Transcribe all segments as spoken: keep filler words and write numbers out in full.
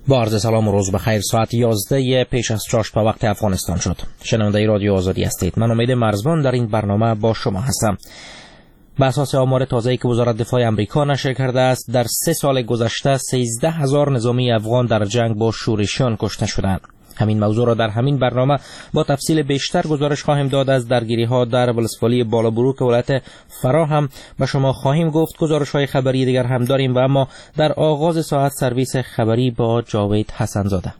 با عرض سلام و روز بخیر. ساعت یازده پیش از چاشت به وقت افغانستان شد. شنونده رادیو آزادی هستید. من امید مرزبان در این برنامه با شما هستم. به اساس آمار تازه‌ای که وزارت دفاع امریکا نشر کرده است، در سه سال گذشته سیزده هزار نظامی افغان در جنگ با شورشیان کشته شدند. همین موضوع را در همین برنامه با تفصیل بیشتر گزارش خواهیم داد. از درگیری‌ها در ولسوالی بالابروک ولایت فراه هم به شما خواهیم گفت. گزارش‌های خبری دیگر هم داریم و اما در آغاز ساعت سرویس خبری با جاوید حسن‌زاده.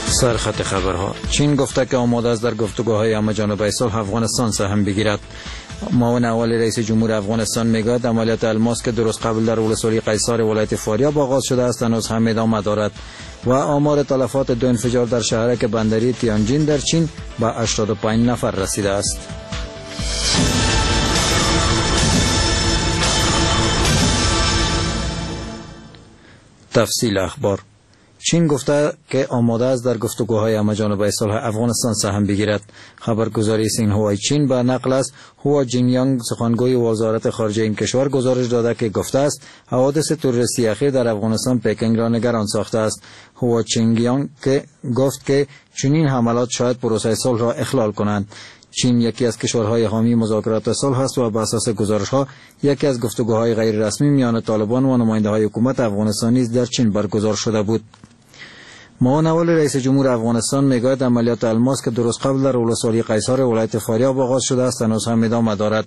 سرخط خبرها: چین گفته که آماده است در گفتگوهای همه‌جانبه صلح افغانستان سهم بگیرد. معاون اول رئیس جمهور افغانستان میگوید عملیات الماس که درست قبل در ولسوالی قیصار ولایت فاریاب آغاز شده است هنوز هم ادامه دارد. و آمار تلفات دو انفجار در شهرک بندری تیانجین در چین به هشتاد و پنج نفر رسیده است. تفصیل اخبار: چین گفته که آماده است در گفتگوهای همه‌جانبه صلح افغانستان سهم بگیرد. خبرگزاری سینهوای چین به نقل از هوا جینیانگ سخنگوی وزارت خارجه این کشور گزارش داده که گفته است حوادث تروریستی اخیر در افغانستان پکینگ را نگران ساخته است. هوا چینگیانگ که گفت که چنین حملات شاید پروسه صلح را اخلال کنند. چین یکی از کشورهای حامی مذاکرات صلح است و به اساس گزارش‌ها یکی از گفتگوهای غیر رسمی میان طالبان و نماینده‌های حکومت افغانستان نیز در چین برگزار شده بود. معاون اول رئیس جمهور افغانستان میگوید عملیات الماس که درست قبل در ولسوالی قیصار ولایت فاریاب آغاز شده است هنوز هم ادامه دارد.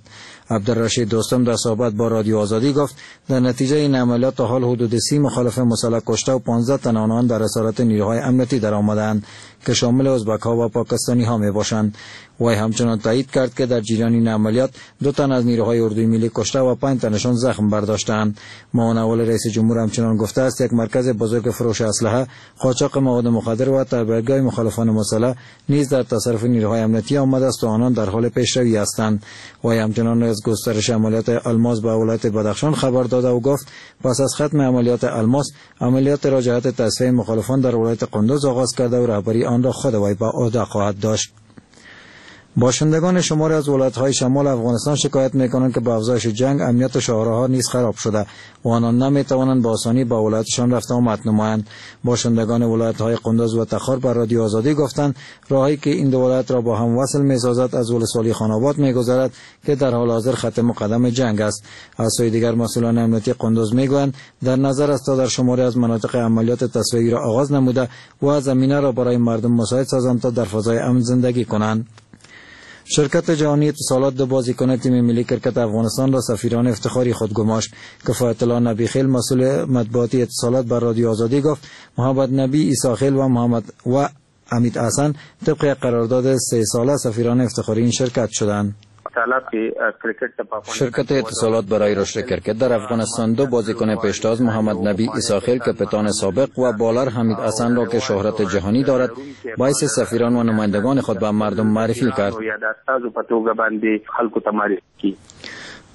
عبدالرشید دوستم در صحبت با رادیو آزادی گفت در نتیجه این عملیات تا حال حدود سی مخالف مسلح کشته و پانزده تن آنان در اسارت نیروهای امنیتی در آمدند که شامل ازبک ها و پاکستانی ها می باشند. وی همچنان تایید کرد که در جریان این عملیات دو تن از نیروهای اردوی ملی کشته و پنج تنشان زخم برداشتند. معاون اول رئیس جمهور همچنان گفته است یک مرکز بزرگ فروش اسلحه، قاچاق مواد مخدر و تبعیدگاه مخالفان مسلح نیز در تصرف نیروهای امنیتی آمده است و آنان در حال پیشروی هستند. وی همچنان از گسترش عملیات الماس به ولایت بدخشان خبر داده و گفت پس از ختم عملیات الماس عملیات را جهت تصفیه مخالفان در ولایت قندوز آغاز کرده و رهبری آن را خود وی به عهده خواهد داشت. باشندگان شماری از ولایت‌های شمال افغانستان شکایت می‌کنند که با افزایش جنگ امنیت شهرها نیز خراب شده و آنان نمی‌توانند با آسانی به ولایتشان رفت آمد نمایند. باشندگان ولایت‌های قندوز و تخار بر رادیو آزادی گفتند راهی که این دو ولایت را با هم وصل می‌سازد از ولسوالی خانآباد می‌گذرد که در حال حاضر خط مقدم جنگ است. از سوی دیگر مسئولان امنیتی قندوز می‌گویند در نظر است تا در شماری از مناطق عملیات تصفیه‌ای را آغاز نموده و زمینه را برای مردم مساعد سازند تا در فضای امن زندگی کنند. شرکت جهانی اتصالات دو بازیکن تیم ملی کرکت افغانستان را سفیران افتخاری خود گماشت. کفایت الله نبی خیل مسئول مطبوعاتی اتصالات بر رادیو آزادی گفت محمد نبی عیسی خیل و محمد و امید حسن طبق قرارداد سه ساله سفیران افتخاری این شرکت شدند. شرکت اتصالات برای رشد کرکت در افغانستان دو بازیکن پیشتاز محمد نبی عیسی خیل کپیتان سابق و بالر حمید حسن را که شهرت جهانی دارد باعث سفیران و نمایندگان خود به مردم معرفی کرد.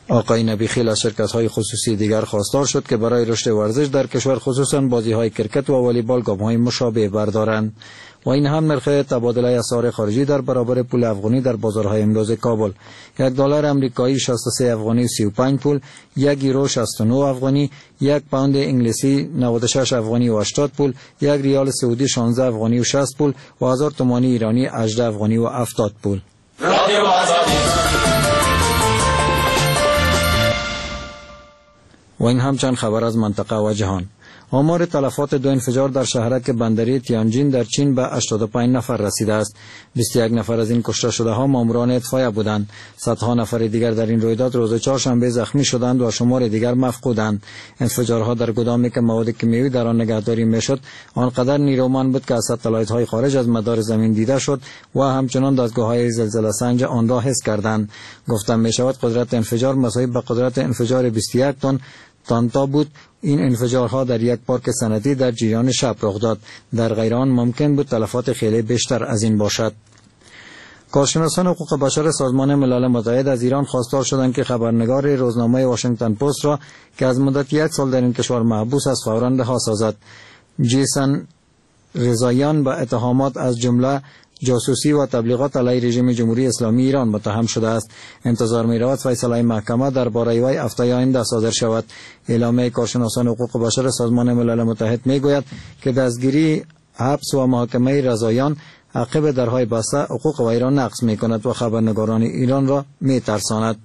آقای نبی خیل از شرکت‌های خصوصی دیگر خواستار شد که برای رشد ورزش در کشور خصوصا بازی‌های کرکت و والیبال گام‌های مشابه بردارند. و این هم نرخ تبادله اسعار خارجی در برابر پول افغانی در بازارهای امروز کابل: یک دلار امریکایی شصت و سه افغانی و سی و پنج پول، یک یورو شصت و نه افغانی، یک پوند انگلیسی نود و شش افغانی و هشتاد پول، یک ریال سعودی شانزده افغانی و شصت پول و هزار تومانی ایرانی هجده افغانی و هفتاد پول. و این هم چند خبر از منطقه و جهان. آمار تلفات دو انفجار در شهرک بندری تیانجین در چین به هشتاد و پنج نفر رسیده است. بیست و یک نفر از این کشته شده ها ماموران اطفایه بودند. صدها نفر دیگر در این رویداد روز چهارشنبه زخمی شدند و شمار دیگر مفقودند. انفجارها در گدامی که مواد کیمیایی در آن نگهداری میشد آنقدر نیرومند بود که از ستلایت های خارج از مدار زمین دیده شد و همچنان دستگاه های زلزله سنج آن را حس کردند. گفته می شود قدرت انفجار مساوی به قدرت انفجار بیست و یک تن تانتا بود. این انفجارها در یک پارک صنعتی در جریان شب رخ داد. در غیر آن ممکن بود تلفات خیلی بیشتر از این باشد. کارشناسان حقوق بشر سازمان ملل متحد از ایران خواستار شدند که خبرنگار روزنامه واشنگتن پست را که از مدت یک سال در این کشور محبوس است فوراً رها سازد. جیسن رضاییان به اتهامات از جمله جاسوسی و تبلیغات علیه رژیم جمهوری اسلامی ایران متهم شده است. انتظار می رود فیصله محکمه درباره وی هفته آینده صادر شود. اعلامیه کارشناسان حقوق بشر سازمان ملل متحد می گوید که دستگیری، حبس و محاکمه رضاییان عقب درهای بسته حقوق وی را نقض می کند و خبرنگاران ایران را می ترساند.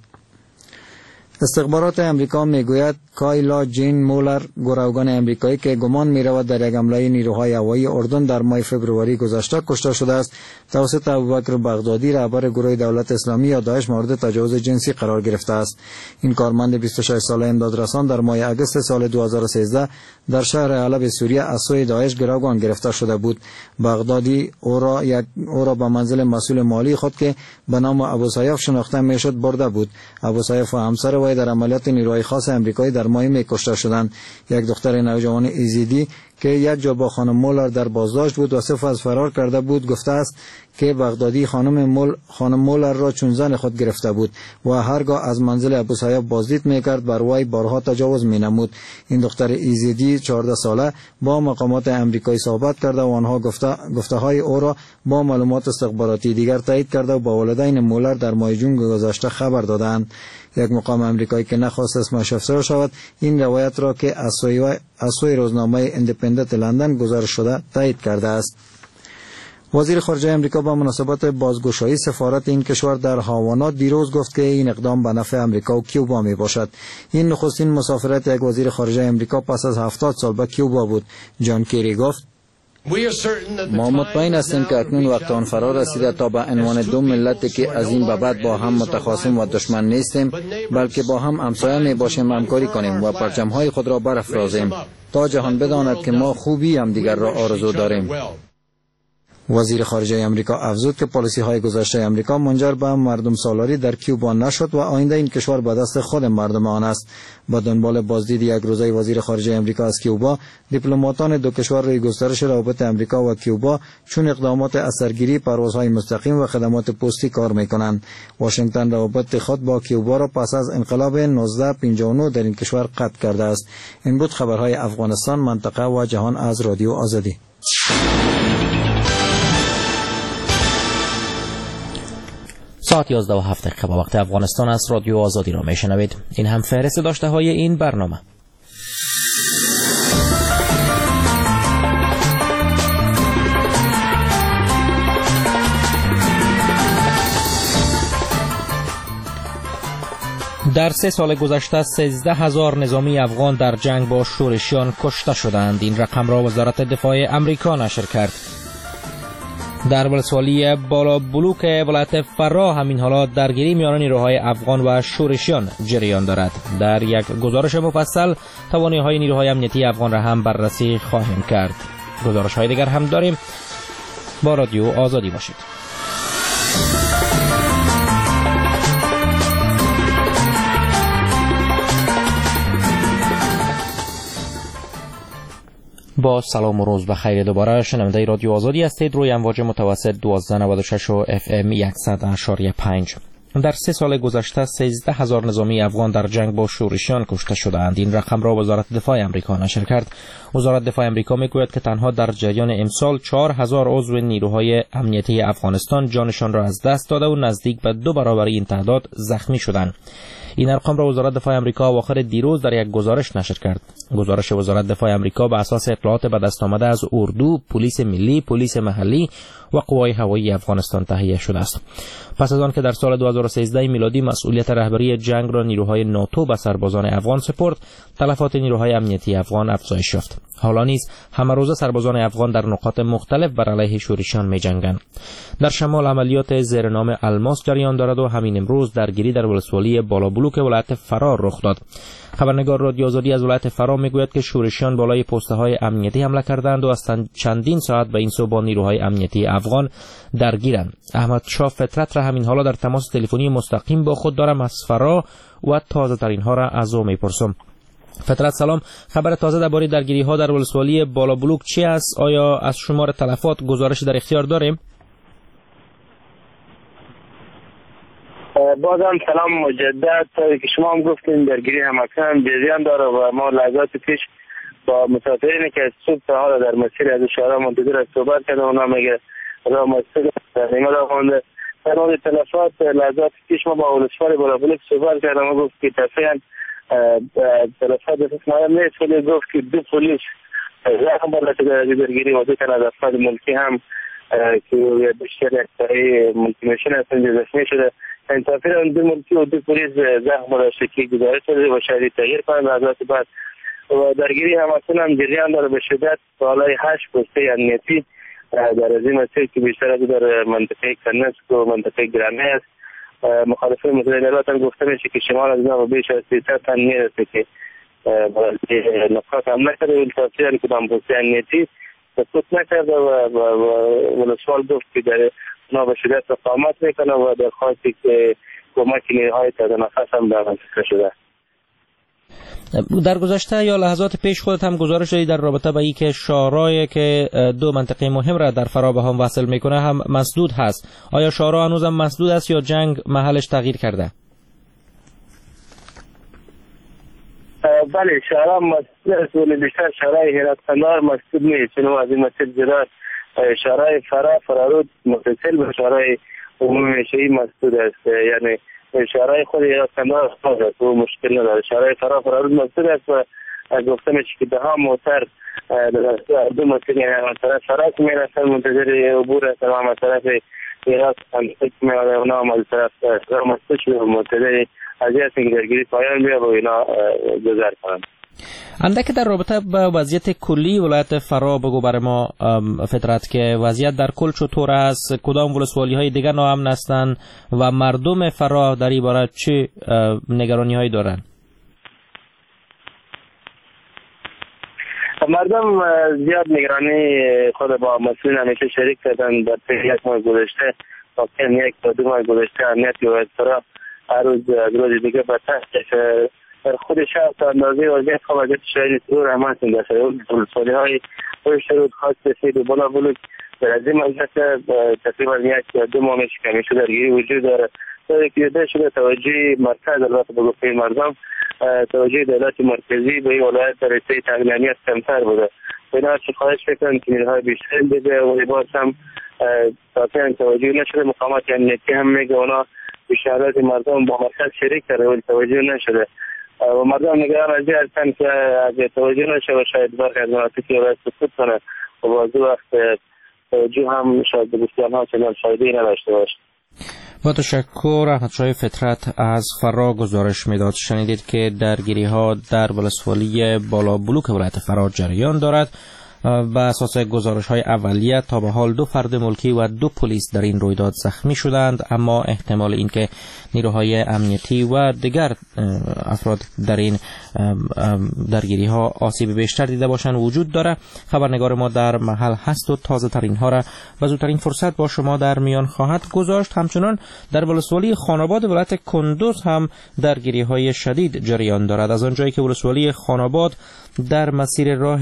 استخبارات امریکا میگوید کایلا جین مولر، گروگان امریکایی که گمان میرود در یک حمله نیروهای هوایی اردن در ماه فبروری گذشته کشته شده است، توسط ابوبکر بغدادی رهبر گروه دولت اسلامی یا داعش مورد تجاوز جنسی قرار گرفته است. این کارمند بیست و شش ساله امدادرسان در ماه اگست سال دو هزار و سیزده در شهر حلب سوریه از سوی داعش گروگان گرفته شده بود. بغدادی او را یک او را به منزل مسئول مالی خود که به نام ابو سیاف شناخته میشد برده بود. ابو سیاف و همسر وی در عملیات نیروهای خاص امریکایی در ماه می کشته شدند. یک دختر نوجوان ایزیدی که یک جا با خانم مولر در بازداشت بود و سپس فرار کرده بود گفته است که بغدادی خانم مول خانم مولر را چون زن خود گرفته بود و هرگاه از منزل ابو سیاف بازدید میکرد بر وی بارها تجاوز مینمود. این دختر ایزیدی چهارده ساله با مقامات امریکایی صحبت کرده و آنها گفته گفته های او را با معلومات استخباراتی دیگر تایید کرده و با والدین مولر در ماه جون گذشته خبر دادند. یک مقام امریکایی که نخواست اسمش افشا شود این روایت را که از سوی از سوی روزنامه اندپندنت لندن گزارش شده تایید کرده است. وزیر خارجه امریکا با مناسبت بازگشایی سفارت این کشور در هاوانا دیروز گفت که این اقدام به نفع امریکا و کیوبا می باشد. این نخستین مسافرت یک وزیر خارجه امریکا پس از هفتاد سال به کیوبا بود. جان کری گفت: ما مطمئن هستیم که اکنون وقت آن فرا رسیده تا به عنوان دو ملت که از این به بعد با هم متخاصم و دشمن نیستیم، بلکه با هم همسایه می باشیم همکاری کنیم و پرچم‌های خود را برافرازیم تا جهان بداند که ما خوبی هم دیگر را آرزو داریم. وزیر خارجه امریکا افزود که پالیسی های گذشته امریکا منجر به مردم سالاری در کیوبا نشد و آینده این کشور به دست خود مردم آن است. با دنبال بازدید یک روزه وزیر خارجه امریکا از کیوبا، دیپلماتان دو کشور روی گسترش روابط امریکا و کیوبا چون اقدامات اثرگیری، پروازهای مستقیم و خدمات پستی کار میکنند. واشنگتن روابط خود با کیوبا را پس از انقلاب نوزده پنجاه و نه در این کشور قطع کرده است. این بود خبرهای افغانستان، منطقه و جهان از رادیو آزادی. ساعت یازده و هفت دقیقه با وقت افغانستان از رادیو آزادی را میشنوید. این هم فهرست داشته های این برنامه. در سه سال گذشته سیزده هزار نظامی افغان در جنگ با شورشیان کشته شدند. این رقم را وزارت دفاع امریکا نشر کرد. در ولسوالی بالا بلوک ولایت فراه همین حالا درگیری میان نیروهای افغان و شورشیان جریان دارد. در یک گزارش مفصل توانایی‌های نیروهای امنیتی افغان را هم بررسی خواهیم کرد. گزارش‌های دیگر هم داریم. با رادیو آزادی باشید. با سلام و روز بخیر دوباره شنونده رادیو آزادی هستید روی امواج متوسط دوازده نود و شش و اف ام صد و پنج. در سه سال گذشته سیزده هزار نظامی افغان در جنگ با شورشیان کشته شده‌اند. این رقم را وزارت دفاع امریکا نشر کرد. وزارت دفاع امریکا میگوید که تنها در جریان امسال چهار هزار عضو نیروهای امنیتی افغانستان جانشان را از دست داده و نزدیک به دو برابر این تعداد زخمی شدند. این ارقام را وزارت دفاع امریکا اواخر دیروز در یک گزارش نشر کرد. گزارش وزارت دفاع امریکا به اساس اطلاعات به دست آمده از اردو، پلیس ملی، پلیس محلی و قوای هوایی افغانستان تهیه شده است. پس از آن که در سال دو هزار و سیزده میلادی مسئولیت رهبری جنگ را نیروهای ناتو به سربازان افغان سپرد، تلفات نیروهای امنیتی افغان افزایش یافت. حالا نیز همه روزه سربازان افغان در نقاط مختلف بر علیه شورشیان می‌جنگند. در شمال عملیات زیر نام الماس جریان دارد و همین امروز درگیری در ولسوالی بالا بلوک ولایت فرار رخ داد. خبرنگار رادیو آزادی از ولایت فراه میگوید که شورشیان بالای پسته‌های امنیتی حمله کردند و از چندین ساعت به این سو با نیروهای امنیتی افغان درگیرند. احمد شاه فطرت را همین حالا در تماس تلفنی مستقیم با خود دارم از فراه و تازه ترین ها را از او میپرسم. فطرت سلام، خبر تازه درباره درگیری ها در ولسوالی بالا بلوک چی است؟ آیا از شمار تلفات گزارش در اختیار داریم؟ بازم سلام مجدد. که شما هم گفتین درگیری هم اکنون جریان داره و ما لحظات پیش با مسافرین که از صبح تا حالا در مسیر از اشاره منتظر از صحبت کردن، اونا میگه راه مسدود در نیمه راه مانده. در مورد تلفات لحظات پیش ما با ولسوال بالابلوک صحبت کردم و گفت که تفعیلا تلفات دست معلوم نیست، ولی گفت که دو پلیس زخم برداشته در درگیری و دو تن از افراد ملکی هم که بیشتر یک سایه ملکی مشین هستند زخمی شده. انتافی دو ملکی و دو پلیس زخم برداشته که گزارش شده و شاید تغییر کنند لحظات بعد. و درگیری هم هم جریان داره به شدت بالای هشت پسته امنیتی در از این مسیر که بیشتر از در منطقه کنسک و منطقه گرانه است. مخالفین متحده هم گفته میشه که شمال از اینا بیش از سیصد تن میرسه که نقاط حمله کرده، ولی تاثیر کدام پسته امنیتی سقوط نکرده و ولسوال گفت که در اونا به شدت اقامت میکنه و درخواستی که کمک نیروهای تازه نفس هم در منطقه شده. در گذشته یا لحظات پیش خودت هم گزارش دادی در رابطه با اینکه شاهراه که دو منطقه مهم را در فراه به هم وصل میکنه هم مسدود هست. آیا شاهراه هنوز هم مسدود است یا جنگ محلش تغییر کرده؟ بله، شاهراه مسدود است، ولی بیشتر شاهراه هرات قندهار مسدود نیست، چون از این مسیر جدا شاهراه فراه فرارود متصل به شاهراه عمومی میشهی مسدود است، یعنی شهرهای خود هرات قندهار باز است و مشکل نداره. شهرهای فراه فرارود مسدود است و گفته میشه که ده ها موتر در دو مسیر، یعنی از طرف فراه که میرسن منتظر عبور هستن و هم از طرف هرات که میآید اونا هم از طرف راه مسدود شده و منتظر از این هستن که درگیری پایان بیابه و اینا گذر کنند. اندک در رابطه با وضعیت کلی ولایت فراه بگو برای ما فطرت که وضعیت در کل چطور است، کدام ولسوالی های دیگر ناامن هستند و مردم فراه در این باره چه نگرانی هایی دارند؟ مردم زیاد نگرانی خود با مسئولین همیشه شریک کردن. در طی یک ماه گذشته، واقعا یک تا دو ماه گذشته، امنیت ولایت فراه هر روز از روز دیگه بدتر شده. در خود شهر تا اندازه وضعیت خوب وضعیت شهری سرور هم هستند. در ولسوالی های رود خاص سید و بالا بلوک در از این وضعیت تقریبا یک یا دو ماه میشه که همیشه درگیری وجود داره. تا که دیده شده توجه مرکز، البته به گفته مردم توجه دولت مرکزی به این ولایت در رسته تامین امنیت کمتر بوده. اینا چه خواهش میکنن که نیروهای بیشتر بده و باز هم تا توجه نشده. مقامات امنیتی هم میگه اونا به شهادت مردم با مرکز شریک کرده ولی توجه نشده و مردم نگران از این هستند که اگر توجه نشه و شاید برخی از مناطق ولایت سکوت کنه و بعضی وقت توجه هم شاید به گفته آنها چنان فایده‌ای نداشته باشه. با تشکر. احمدشاه فطرت از فراه گزارش میداد. شنیدید که درگیری ها در ولسوالی بالا بلوک ولایت فراه جریان دارد. به اساس گزارش های اولیه تا به حال دو فرد ملکی و دو پلیس در این رویداد زخمی شدند، اما احتمال اینکه نیروهای امنیتی و دیگر افراد در این درگیری ها آسیب بیشتر دیده باشند وجود داره. خبرنگار ما در محل هست و تازه ترین ها را و زودترین فرصت با شما در میان خواهد گذاشت. همچنان در ولسوالی خانآباد ولایت کندوز هم درگیری های شدید جریان دارد. از آنجایی که ولسوالی خانآباد در مسیر راه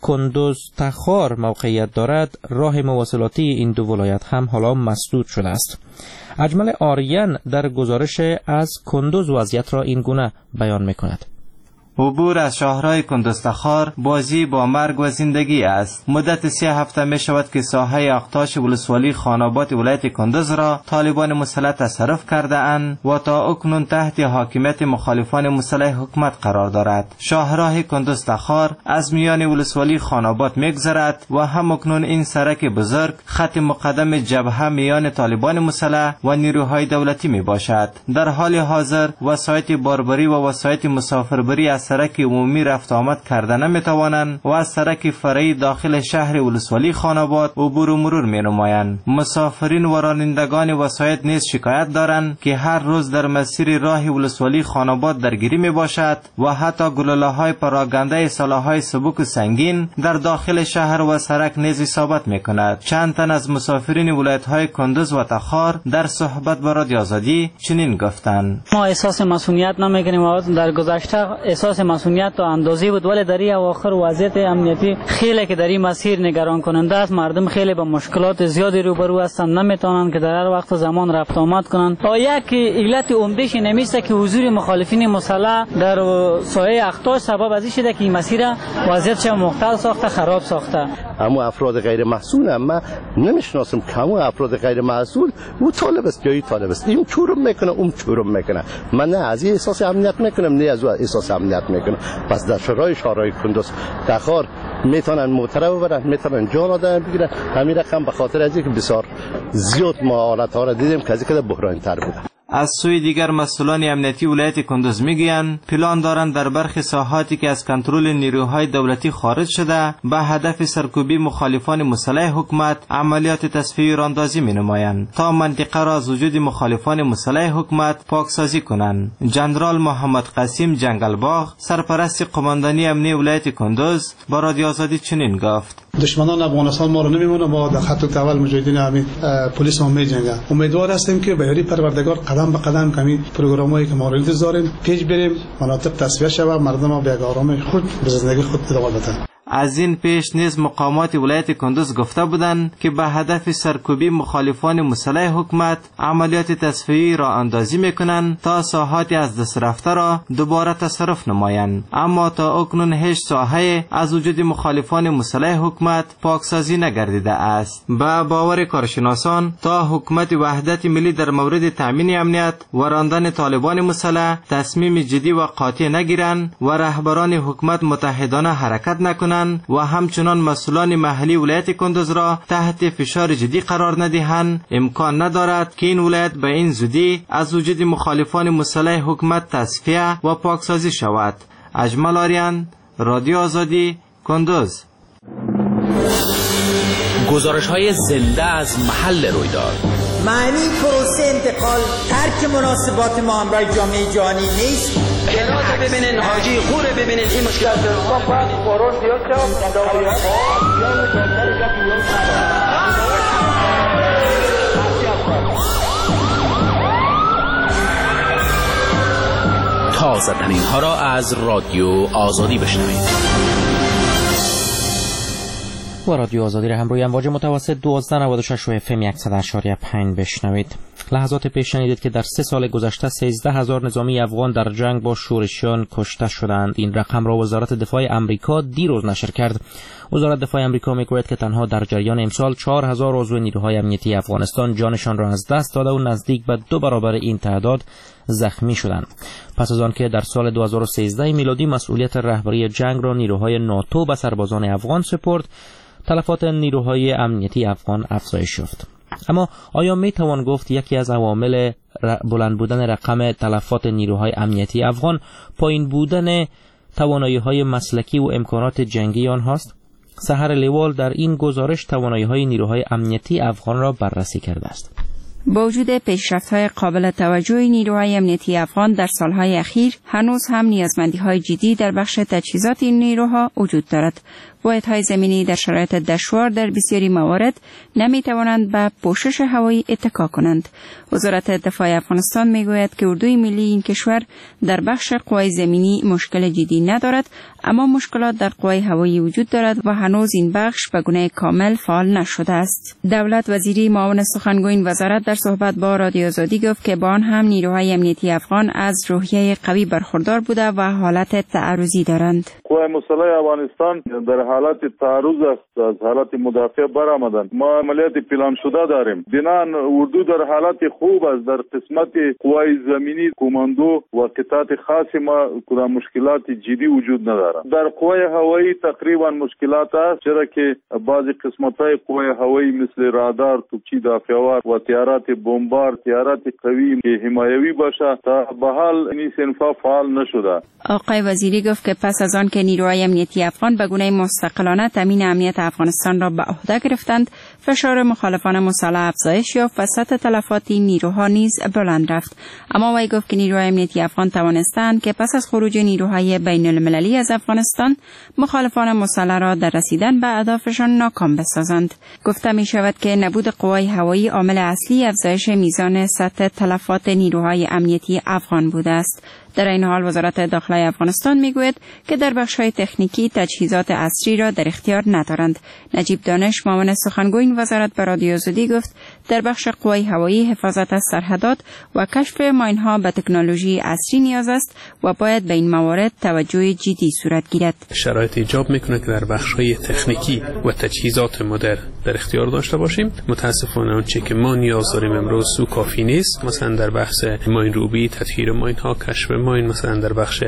کندوز تخار موقعیت دارد، راه مواصلاتی این دو ولایت هم حالا مسدود شده است. اجمل آریان در گزارش از کندوز وضعیت را این گونه بیان می‌کند. عبور از شاهراه کندوز تخار بازی با مرگ و زندگی است. مدت سه هفته می شود که ساحه اقتاش ولسوالی خانآباد ولایت کندوز را طالبان مسلح تصرف کرده اند و تا اکنون تحت حاکمیت مخالفان مسلح حکومت قرار دارد. شاهراه کندوز تخار از میان ولسوالی خانآباد میگذرد و هم اکنون این سرک بزرگ خط مقدم جبهه میان طالبان مسلح و نیروهای دولتی می باشد. در حال حاضر وسایط باربری و وسایط مسافربری از سرک عمومی رفت آمد کرده نمیتوانند و از سرک فرعی داخل شهر ولسوالی خانآباد عبور و مرور می نمایند. مسافرین و رانندگان وسایط نیز شکایت دارند که هر روز در مسیر راه ولسوالی خانآباد درگیری می باشد و حتی گلوله های پراگنده سلاح های سبک و سنگین در داخل شهر و سرک نیز اصابت می کند. چند تن از مسافرین ولایت های کندوز و تخار در صحبت با رادیو آزادی چنین گفتند: ما احساس مسئولیت نمیکنیم. در گذشته احساس احساس مسئولیت تا اندازه بود، ولی در این اواخر وضعیت امنیتی خیلی که در این مسیر نگران کننده است. مردم خیلی با مشکلات زیادی روبرو هستند، نمیتونن که در هر وقت زمان رفت آمد کنند. یک علت عمدهش نمیشه که حضور مخالفین مسلح در ساحه اختاش سبب از این شده که این مسیر وضعیتش مختل ساخته، خراب ساخته. اما افراد غیر محصول ما نمیشناسم که همون افراد غیر محصول او طالب است یا طالب است، این چورم میکنه اون چورم میکنه. من نه از این احساس امنیت میکنم نه از او احساس امنیت میکنم. پس در شورای شورای کندز تخار میتونن موتر ببرن، میتونن جان آدم بگیرن. همین رقم به خاطر از اینکه بسیار زیاد ما حالت ها را دیدیم که از اینکه بحران تر بوده. از سوی دیگر مسئولان امنیتی ولایت کندز میگویند پلان دارند در برخی ساحاتی که از کنترل نیروهای دولتی خارج شده به هدف سرکوبی مخالفان مسلح حکومت عملیات تصفیه راندازی مینمایند تا منطقه را از وجود مخالفان مسلح حکومت پاکسازی کنند. جنرال محمد قاسم جنگلباغ سرپرست قماندانی امنی ولایت کندز با رادیو آزادی چنین گفت: دشمنان افغانستان ما رو نمیمونه، ما در خط اول مجاهدین همین پلیس ما میجنگن. امیدوار هستیم که به یاری پروردگار قدم به قدم کمی پروگرامایی که ما رو داریم پیش بریم، مناطق تصفیه شود، مردم ما به آرام خود به زندگی خود ادامه بدن. از این پیش نیز مقامات ولایت کندز گفته بودند که به هدف سرکوبی مخالفان مسلح حکومت عملیات تصفیه‌ای را اندازی میکنند تا ساحات از دست رفته را دوباره تصرف نمایند، اما تا اکنون هیچ ساحه از وجود مخالفان مسلح حکومت پاکسازی نگردیده است. به باور کارشناسان تا حکومت وحدت ملی در مورد تامین امنیت و راندن طالبان مسلح تصمیم جدی و قاطع نگیرند و رهبران حکومت متحدانه حرکت نکنند و همچنان مسئولان محلی ولایت کندز را تحت فشار جدی قرار ندهند، امکان ندارد که این ولایت به این زودی از وجود مخالفان مسلح حکومت تصفیه و پاکسازی شود. اجمل آریان، رادیو آزادی، کندز. گزارش های زنده از محل رویداد. معنی پروسه انتقال ترک مناسبات ما همراه جامعه جهانی نیست. هرات ببینین، حاجی خور ببینین، این مشکل تازه ترین ها را از رادیو آزادی بشنوید. و رادیو آزادی را هم روی امواج متوسط دوازده نود و شش و اف ام صد و پنج بشنوید. لحظات پیش شنیدید که در سه سال گذشته سیزده هزار نظامی افغان در جنگ با شورشیان کشته شدند. این رقم را وزارت دفاع امریکا دیروز نشر کرد. وزارت دفاع امریکا میگوید که تنها در جریان امسال چهار هزار عضو نیروهای امنیتی افغانستان جانشان را از دست داده و نزدیک به دو برابر این تعداد زخمی شدند. پس از آنکه در سال دو هزار و سیزده میلادی مسئولیت رهبری جنگ را نیروهای ناتو به سربازان افغان سپرد، تلفات نیروهای امنیتی افغان افزایش یافت. اما آیا می توان گفت یکی از عوامل بلند بودن رقم تلفات نیروهای امنیتی افغان پایین بودن توانایی‌های مسلکی و امکانات جنگی آنهاست؟ سحر لیوال در این گزارش توانایی‌های نیروهای امنیتی افغان را بررسی کرده است. با وجود پیشرفت‌های قابل توجه نیروهای امنیتی افغان در سالهای اخیر، هنوز هم نیازمندی‌های جدی در بخش تجهیزات این نیروها وجود دارد. واحدهای زمینی در شرایط دشوار در بسیاری موارد نمی‌توانند به پوشش هوایی اتکا کنند. وزارت دفاع افغانستان می‌گوید که اردوی ملی این کشور در بخش قوای زمینی مشکل جدی ندارد، اما مشکلات در قوای هوایی وجود دارد و هنوز این بخش به گونه کامل فعال نشده است. دولت وزیری معاون سخنگوی این وزارت در صحبت با رادیو آزادی گفت که با آن هم نیروهای امنیتی افغان از روحیه قوی برخوردار بوده و حالت تعرضی دارند. قوای مسلح افغانستان در حالت تعرض است، از حالت مدافع برآمدند. ما عملیات پلان شده داریم. بنان اردو در حالت خوب است. در قسمت قوای زمینی کماندو و قطعات خاص ما کدام مشکلات جدی وجود ندارد. در قوای هوایی تقریبا مشکلات است، چرا که بعضی قسمت‌های قوای هوایی مثل رادار، توپچی دافعوار و طیارات بمبار، طیارات قوی که حمایوی باشه تا به حال این صنفا فعال نشده. آقای وزیری گفت که پس از آن که نیروهای امنیتی افغان به گونه مستقلانه تامین امنیت افغانستان را به عهده گرفتند، فشار مخالفان مسلح افزایش یافت و سطح تلفات این نیروها نیز بلند رفت. اما وی گفت که نیروهای امنیتی افغان توانستند که پس از خروج نیروهای بین المللی از افغانستان مخالفان مسلح را در رسیدن به اهدافشان ناکام بسازند. گفته می شود که نبود قوای هوایی عامل اصلی افزایش میزان سطح تلفات نیروهای امنیتی افغان بوده است. در این حال وزارت داخله افغانستان میگوید که در بخش‌های تکنیکی تجهیزات عصری را در اختیار ندارند. نجیب دانش، معاون سخنگوی این وزارت، به رادیو آزادی گفت در بخش قوای هوایی حفاظت از سرحدات و کشف ماین‌ها به تکنولوژی عصری نیاز است و باید به این موارد توجه جدی صورت گیرد. شرایط ایجاب میکنه که در بخش‌های تکنیکی و تجهیزات مدرن در اختیار داشته باشیم. متاسفانه آنچه که ما نیاز داریم امروز سو کافی نیست. مثلا در بخش ماین روبی، تطهیر ماین‌ها، کشف ماین، مثلا در بخش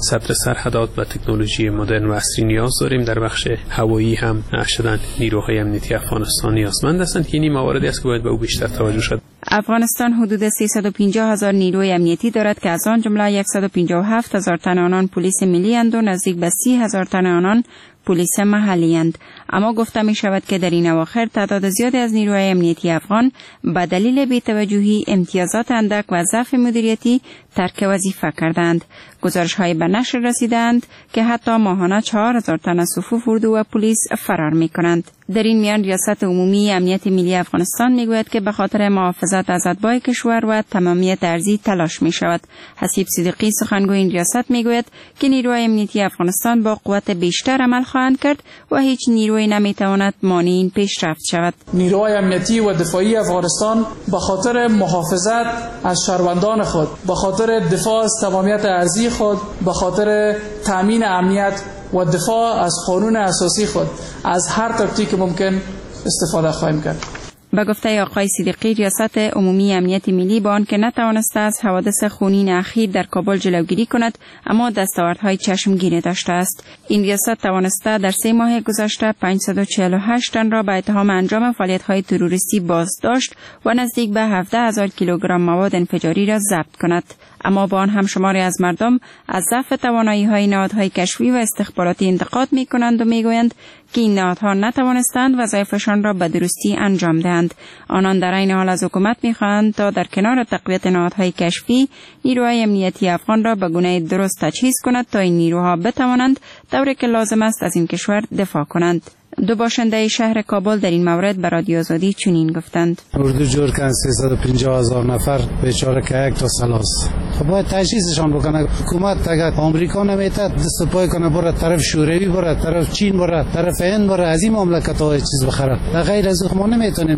صدر سرحدات و تکنولوژی مدرن و عصری نیاز داریم. در بخش هوایی هم شدن نیروهای امنیتی افغانستان نیازمند هستند که این مواردی است که باید به او بیشتر توجه شد. افغانستان حدود سیصد و پنجاه هزار نیروی امنیتی دارد که از آن جمله صد و پنجاه و هفت هزار تن آنان پلیس ملی اند و نزدیک به سی هزار تن آنان پلیس محلی اند. اما گفته می شود که در این اواخر تعداد زیادی از نیروهای امنیتی افغان به دلیل بی‌توجهی، امتیازات اندک و ضعف مدیریتی ترک وظیفه کردند. گزارش های به نشر رسیدند که حتی ماهانه چهار هزار تن از صفوف اردو و پلیس فرار می کنند. در این میان ریاست عمومی امنیت ملی افغانستان می گوید که به خاطر محافظت از اتباع کشور و تمامیت ارضی تلاش می شود. حسیب صدیقی، سخنگوی این ریاست، می گوید که نیروهای امنیتی افغانستان با قوت بیشتر عمل خواهند کرد و هیچ نیروی نمی تواند مانع این پیشرفت شود. نیروهای امنیتی و دفاعی افغانستان به خاطر محافظت از شهروندان خود، به خاطر دفاع از تمامیت ارضی خود، به خاطر تامین امنیت و دفاع از قانون اساسی خود از هر تاکتیک ممکن استفاده خواهیم کرد. به گفته آقای صدیقی، ریاست عمومی امنیت ملی با آنکه نتوانسته از حوادث خونین اخیر در کابل جلوگیری کند، اما دستاوردهای چشمگیری داشته است. این ریاست توانسته در سه ماه گذشته پانصد و چهل و هشت تن را به اتهام انجام فعالیت‌های تروریستی بازداشت و نزدیک به هفده هزار کیلوگرم مواد انفجاری را ضبط کند. اما با آن هم شماری از مردم از ضعف توانایی‌های نهادهای کشفی و استخباراتی انتقاد می‌کنند و می‌گویند که این نهادها نتوانستند وظایفشان را به درستی انجام دهند. آنان در عین حال از حکومت می‌خواهند تا در کنار تقویت نهادهای کشفی، نیروهای امنیتی افغان را به گونه درست تجهیز کند تا این نیروها بتوانند طوری که لازم است از این کشور دفاع کنند. دو باشنده شهر کابل در این مورد به رادیو آزادی چنین گفتند: اردو جور کن سیصد و پنجاه هزار نفر بیچاره که یک تا سلاس، خب باید تجهیزشان بکنه حکومت. اگر آمریکا نمیتد دست پای کنه بره طرف شوروی، بره طرف چین، بره طرف هند، بره از این مملکت های چیز بخره، غیر از ما نمیتونیم.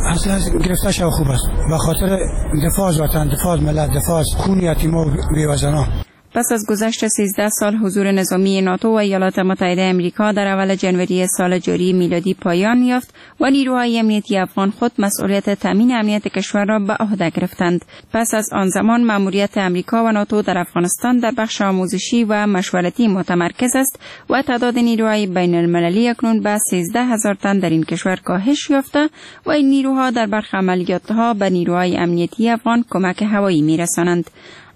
اصلا گرفته شو خوب است، به خاطر دفاع از وطن، دفاع از ملت، دفاع از خون یتیما و بیوزنا. پس از گذشت سیزده سال حضور نظامی ناتو و ایالات متحده امریکا در اول جنوری سال جاری میلادی پایان یافت و نیروهای امنیتی افغان خود مسئولیت تامین امنیت کشور را به عهده گرفتند. پس از آن زمان مأموریت امریکا و ناتو در افغانستان در بخش آموزشی و مشورتی متمرکز است و تعداد نیروهای بین المللی اکنون به سیزده هزار تن در این کشور کاهش یافته و این نیروها در برخی عملیات‌ها به نیروهای امنیتی افغان کمک هوایی می‌رسانند.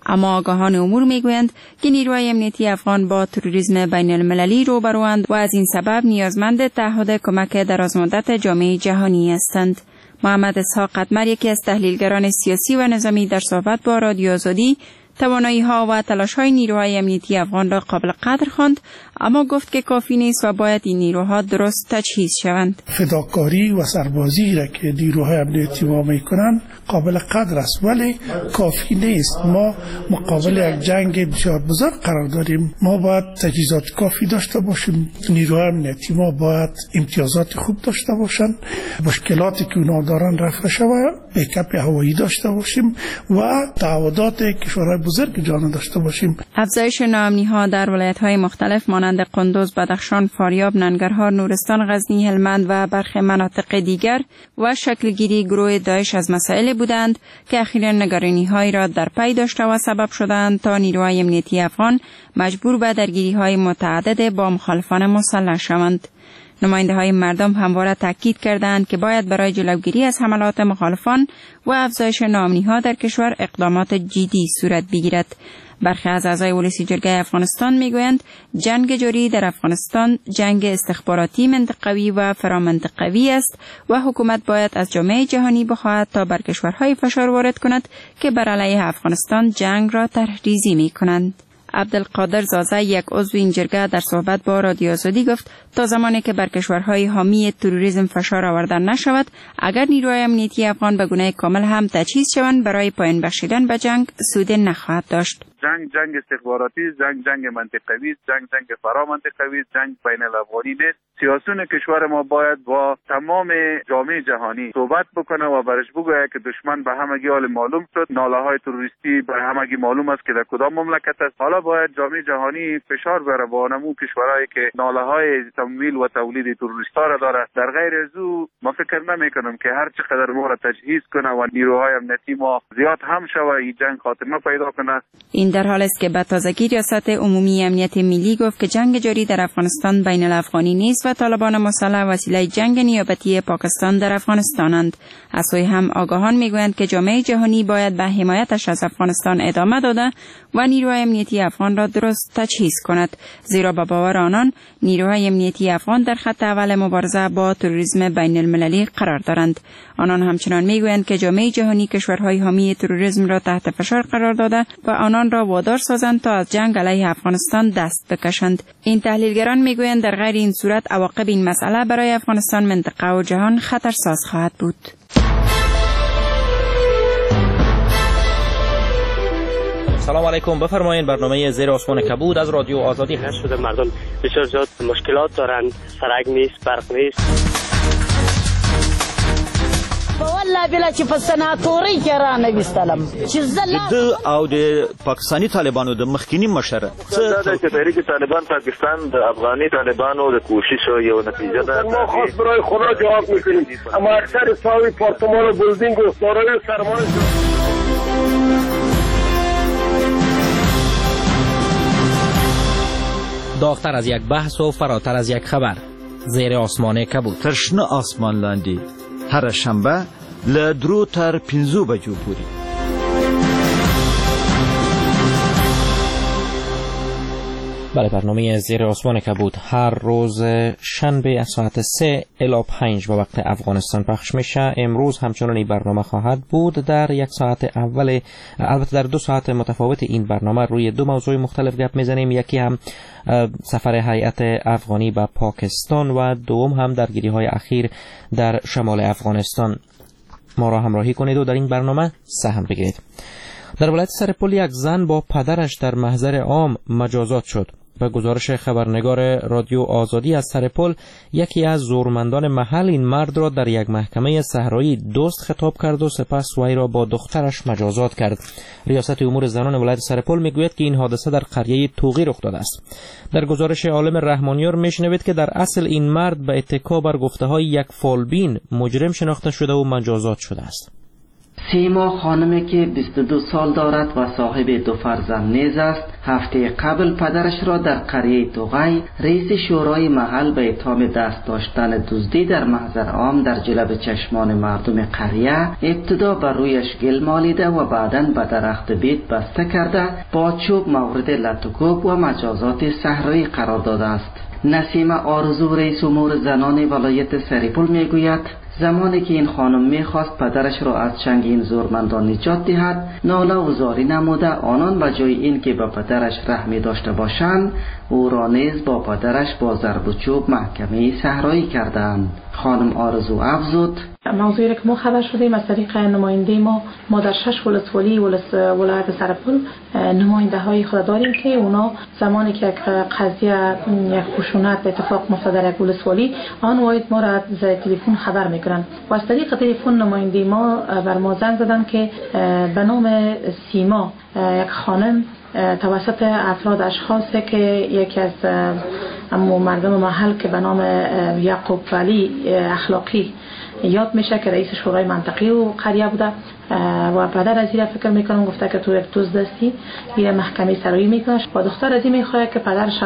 اما آگاهان امور میگویند که نیروهای امنیتی افغان با تروریسم بین المللی روبروند و از این سبب نیازمند تعهد کمک درازمدت جامعه جهانی هستند. محمد اسحاق قدمر، یکی از تحلیلگران سیاسی و نظامی، در صحبت با رادیو آزادی توانایی‌ها و تلاش‌های نیروهای امنیتی افغان را قابل قدر خواند، اما گفت که کافی نیست و باید این نیروها درست تجهیز شوند. فداکاری و سربازی را که نیروهای امنیتی ما میکنند قابل قدر است، ولی کافی نیست. ما مقابل یک جنگ بسیار بزرگ قرار داریم. ما باید تجهیزات کافی داشته باشیم. نیروهای امنیتی ما باید امتیازات خوب داشته باشند، مشکلاتی که اونا دارن رفع شود، بیکاپ هوایی داشته باشیم و تعهدات کشورهای بزرگ جهان داشته باشیم. افزایش ناامنی‌ها در ولایت‌های مختلف مانند قندوز، بدخشان، فاریاب، ننگرهار، نورستان، غزنی، هلمند و برخی مناطق دیگر و شکلگیری گروه داعش از مسائل بودند که اخیراً نگرانی‌هایی را در پی داشته و سبب شدند تا نیروهای امنیتی افغان مجبور به درگیری‌های متعدد با مخالفان مسلح شوند. نماینده های مردم همواره تاکید کردند که باید برای جلوگیری از حملات مخالفان و افزایش ناامنی ها در کشور اقدامات جدی صورت بگیرد. برخی از اعضای ولسی جرگه افغانستان میگویند جنگ جاری در افغانستان جنگ استخباراتی منطقوی و فرامنطقوی است و حکومت باید از جامعه جهانی بخواهد تا بر کشورهای فشار وارد کند که بر علیه افغانستان جنگ را طرح‌ریزی میکنند. عبدالقادر زازه، یک عضو این جرگه، در صحبت با رادیو آزادی گفت تا زمانی که بر کشورهای حامی تروریسم فشار آورده نشود، اگر نیروهای امنیتی افغان به گونه کامل هم تجهیز شوند، برای پایان بخشیدن به جنگ سود نخواهد داشت. جنگ جنگ استخباراتی، جنگ جنگ منطقوی، جنگ جنگ فرامنطقوی، جنگ بین الافغانی نیست. سیاسیون کشور ما باید با تمام جامعه جهانی صحبت بکنه و برش بگوید که دشمن به همگی حال معلوم شد، ناله های تروریستی به همگی معلوم است که در کدام مملکت است. حالا باید جامعه جهانی فشار بیاره با نمو کشورهایی که ناله های تمویل و تولید تروریست‌ها را داره. در غیر از او ما فکر نمی‌کنم که هر چقدر ما را تجهیز کنه و نیروهای امنیتی ما زیاد هم شوه این جنگ خاتمه پیدا کنه. این در حال است که به تازگی ریاست عمومی امنیت ملی گفت که جنگ جاری در افغانستان بین الافغانی نیست و طالبان مسلح وسیله جنگ نیابتی پاکستان در افغانستانند. از سوی هم آگاهان میگویند که جامعه جهانی باید به حمایتش از افغانستان ادامه داده و نیروهای امنیتی افغان را درست تجهیز کند، زیرا به باور آنان نیروهای امنیتی افغان در خط اول مبارزه با تروریسم بین المللی قرار دارند. آنان همچنان میگویند که جامعه جهانی کشورهای حامی تروریسم را تحت فشار قرار داده و آنان را وادار سازند تا از جنگ علیه افغانستان دست بکشند. این تحلیلگران میگویند در غیر این صورت عواقب این مسئله برای افغانستان، منطقه و جهان خطرساز خواهد بود. سلام علیکم، بفرمایید برنامه زیر آسمان کبود از رادیو آزادی. شده مردم بسیار زیاد مشکلات دارند، سرک نیست، برق نیست. والله بلا چې په سناتوري کې را نه وستلم چې زه د او د پاکستاني طالبانو د مخکینی مشر دا چې تحریک طالبان پاکستان د افغاني طالبانو د کوشش یو نتیجه ده. ما خاص برای خدا جواب میکنیم، اما اکثر صاحب پارتمان و بلدینگ و دارای سرمایه. داغتر از یک بحث و فراتر از یک خبر، زیر آسمان کبود. تر شنه آسمان لاندې هره شنبه له درو تر پنځو بجو پورې. بله، برنامه زیر آسمان کبود هر روز شنبه از ساعت سه الی پنج به وقت افغانستان پخش میشه. امروز همچنان این برنامه خواهد بود. در یک ساعت اول، البته در دو ساعت متفاوت این برنامه روی دو موضوع مختلف گپ میزنیم. یکی هم سفر هیئت افغانی به پاکستان و دوم هم درگیری های اخیر در شمال افغانستان. ما را همراهی کنید و در این برنامه سهم بگیرید. در ولایت سرپل یک زن با پدرش در محضر عام مجازات شد. به گزارش خبرنگار رادیو آزادی از سرپل، یکی از زورمندان محل این مرد را در یک محکمه صحرایی دوست خطاب کرد و سپس وی را با دخترش مجازات کرد. ریاست امور زنان ولایت سرپل میگوید که این حادثه در قریه توغی رخ داده است. در گزارش عالم رحمانیار میشنوید که در اصل این مرد به اتکا بر گفته های یک فالبین مجرم شناخته شده و مجازات شده است. سیما خانمی که بیست و دو سال دارد و صاحب دو فرزند نیز است، هفته قبل پدرش را در قریه توغی رئیس شورای محل به اتهام دست داشتن دزدی در محضر عام در جلب چشمان مردم قریه ابتدا بر رویش گل مالیده و بعداً به درخت بید بسته کرده با چوب مورد لت و کوب و مجازات صحرایی قرار داده است. نسیمه آرزو رئیس امور زنان ولایت سرپل میگوید زمانی که این خانم میخواست پدرش را از چنگ این زورمندان نجات دهد، ناله و زاری نموده آنان به جای این که به پدرش رحمی داشته باشند، او را نیز با پدرش با ضرب و چوب محکمه صحرایی کردند. خانم آرزو افزود: موضوعی را که ما خبر شدیم از طریق نماینده ما، ما در شش ولسوالی ولایت سرپل نماینده های خود داریم که اونا زمانی که یک قضیه یک خشونت اتفاق افتاد در یک ولسوالی، آن واحد ما را از تلفن خبر میکنن و از طریق تلفن نماینده ما بر ما زنگ زدن که به نام سیما یک خانم توسط افراد اشخاصی که یکی از مردم محل که به نام یعقوب ولی اخلاقی یاد میشه که رئیس شورای منطقی و قریه بوده، و پدر از این فکر میکنم گفته که تو یک توز دستی، این محکمه سرایی میکنه و دختر از این میخواد که پدرش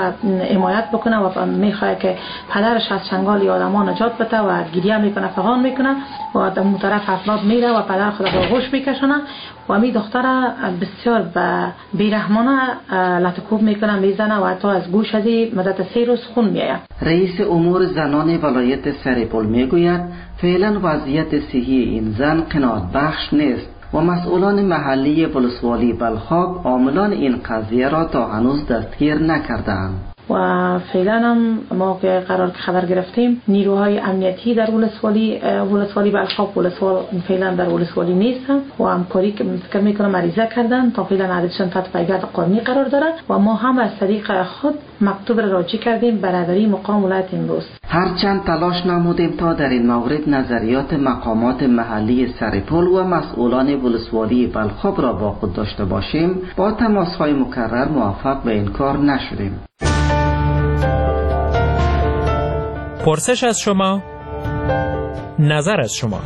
حمایت بکنه و میخواد که پدرش از چنگال آدما نجات بده و گریه میکنه، فغان میکنه و در اون طرف افراد میره و پدر خود را آغوش میکشونه و می دختر بسیار به بیرحمانه لطکوب میکنه، میزنه و حتی از گوش از مدت سه روز خون میآید. رئیس امور زنان ولایت سرپل میگوید فعلا وضعیت صحی این زن قناعت بخش نیست و مسئولان محلی ولسوالی بلخاب عاملان این قضیه را تا هنوز دستگیر نکردند. و فعلا هم ما که قرار خبر گرفتیم نیروهای امنیتی در ولسوالی ولسوالی بلخاب ولسوال فعلا در ولسوالی نیستن و همکاری که فکر میکنم مریضه کردن تا فعلا عددشان تحت پیگرد قانونی قرار داره و ما هم از طریق خود مکتوب را راجع کردیم برادری مقام ولایت امروز. هرچند تلاش نمودیم تا در این مورد نظریات مقامات محلی سرپل و مسئولان ولسوالی بلخاب را با خود داشته باشیم، با تماس‌های مکرر موفق به این کار نشدیم. پرسش از شما، نظر از شما.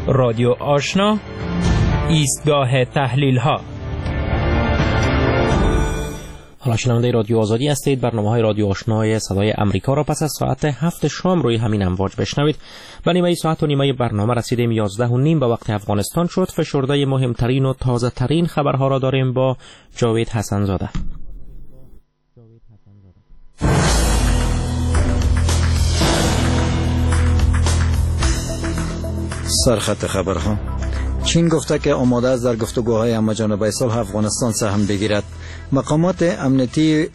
رادیو آشنا، ایستگاه تحلیل ها. حالا شنونده رادیو آزادی هستید. برنامه های رادیو آشنای صدای امریکا را پس از ساعت هفت شام روی همین امواج بشنوید. و نیمه ساعت و نیمه برنامه رسیدیم، یازده و نیم به وقت افغانستان شد. فشرده مهمترین و تازه ترین خبرها را داریم با جاوید حسن زاده. سرخط خبرها: چین گفته که آماده است در گفتگوهای همه‌جانبه صلح افغانستان سهم بگیرد. مقامات امنیتی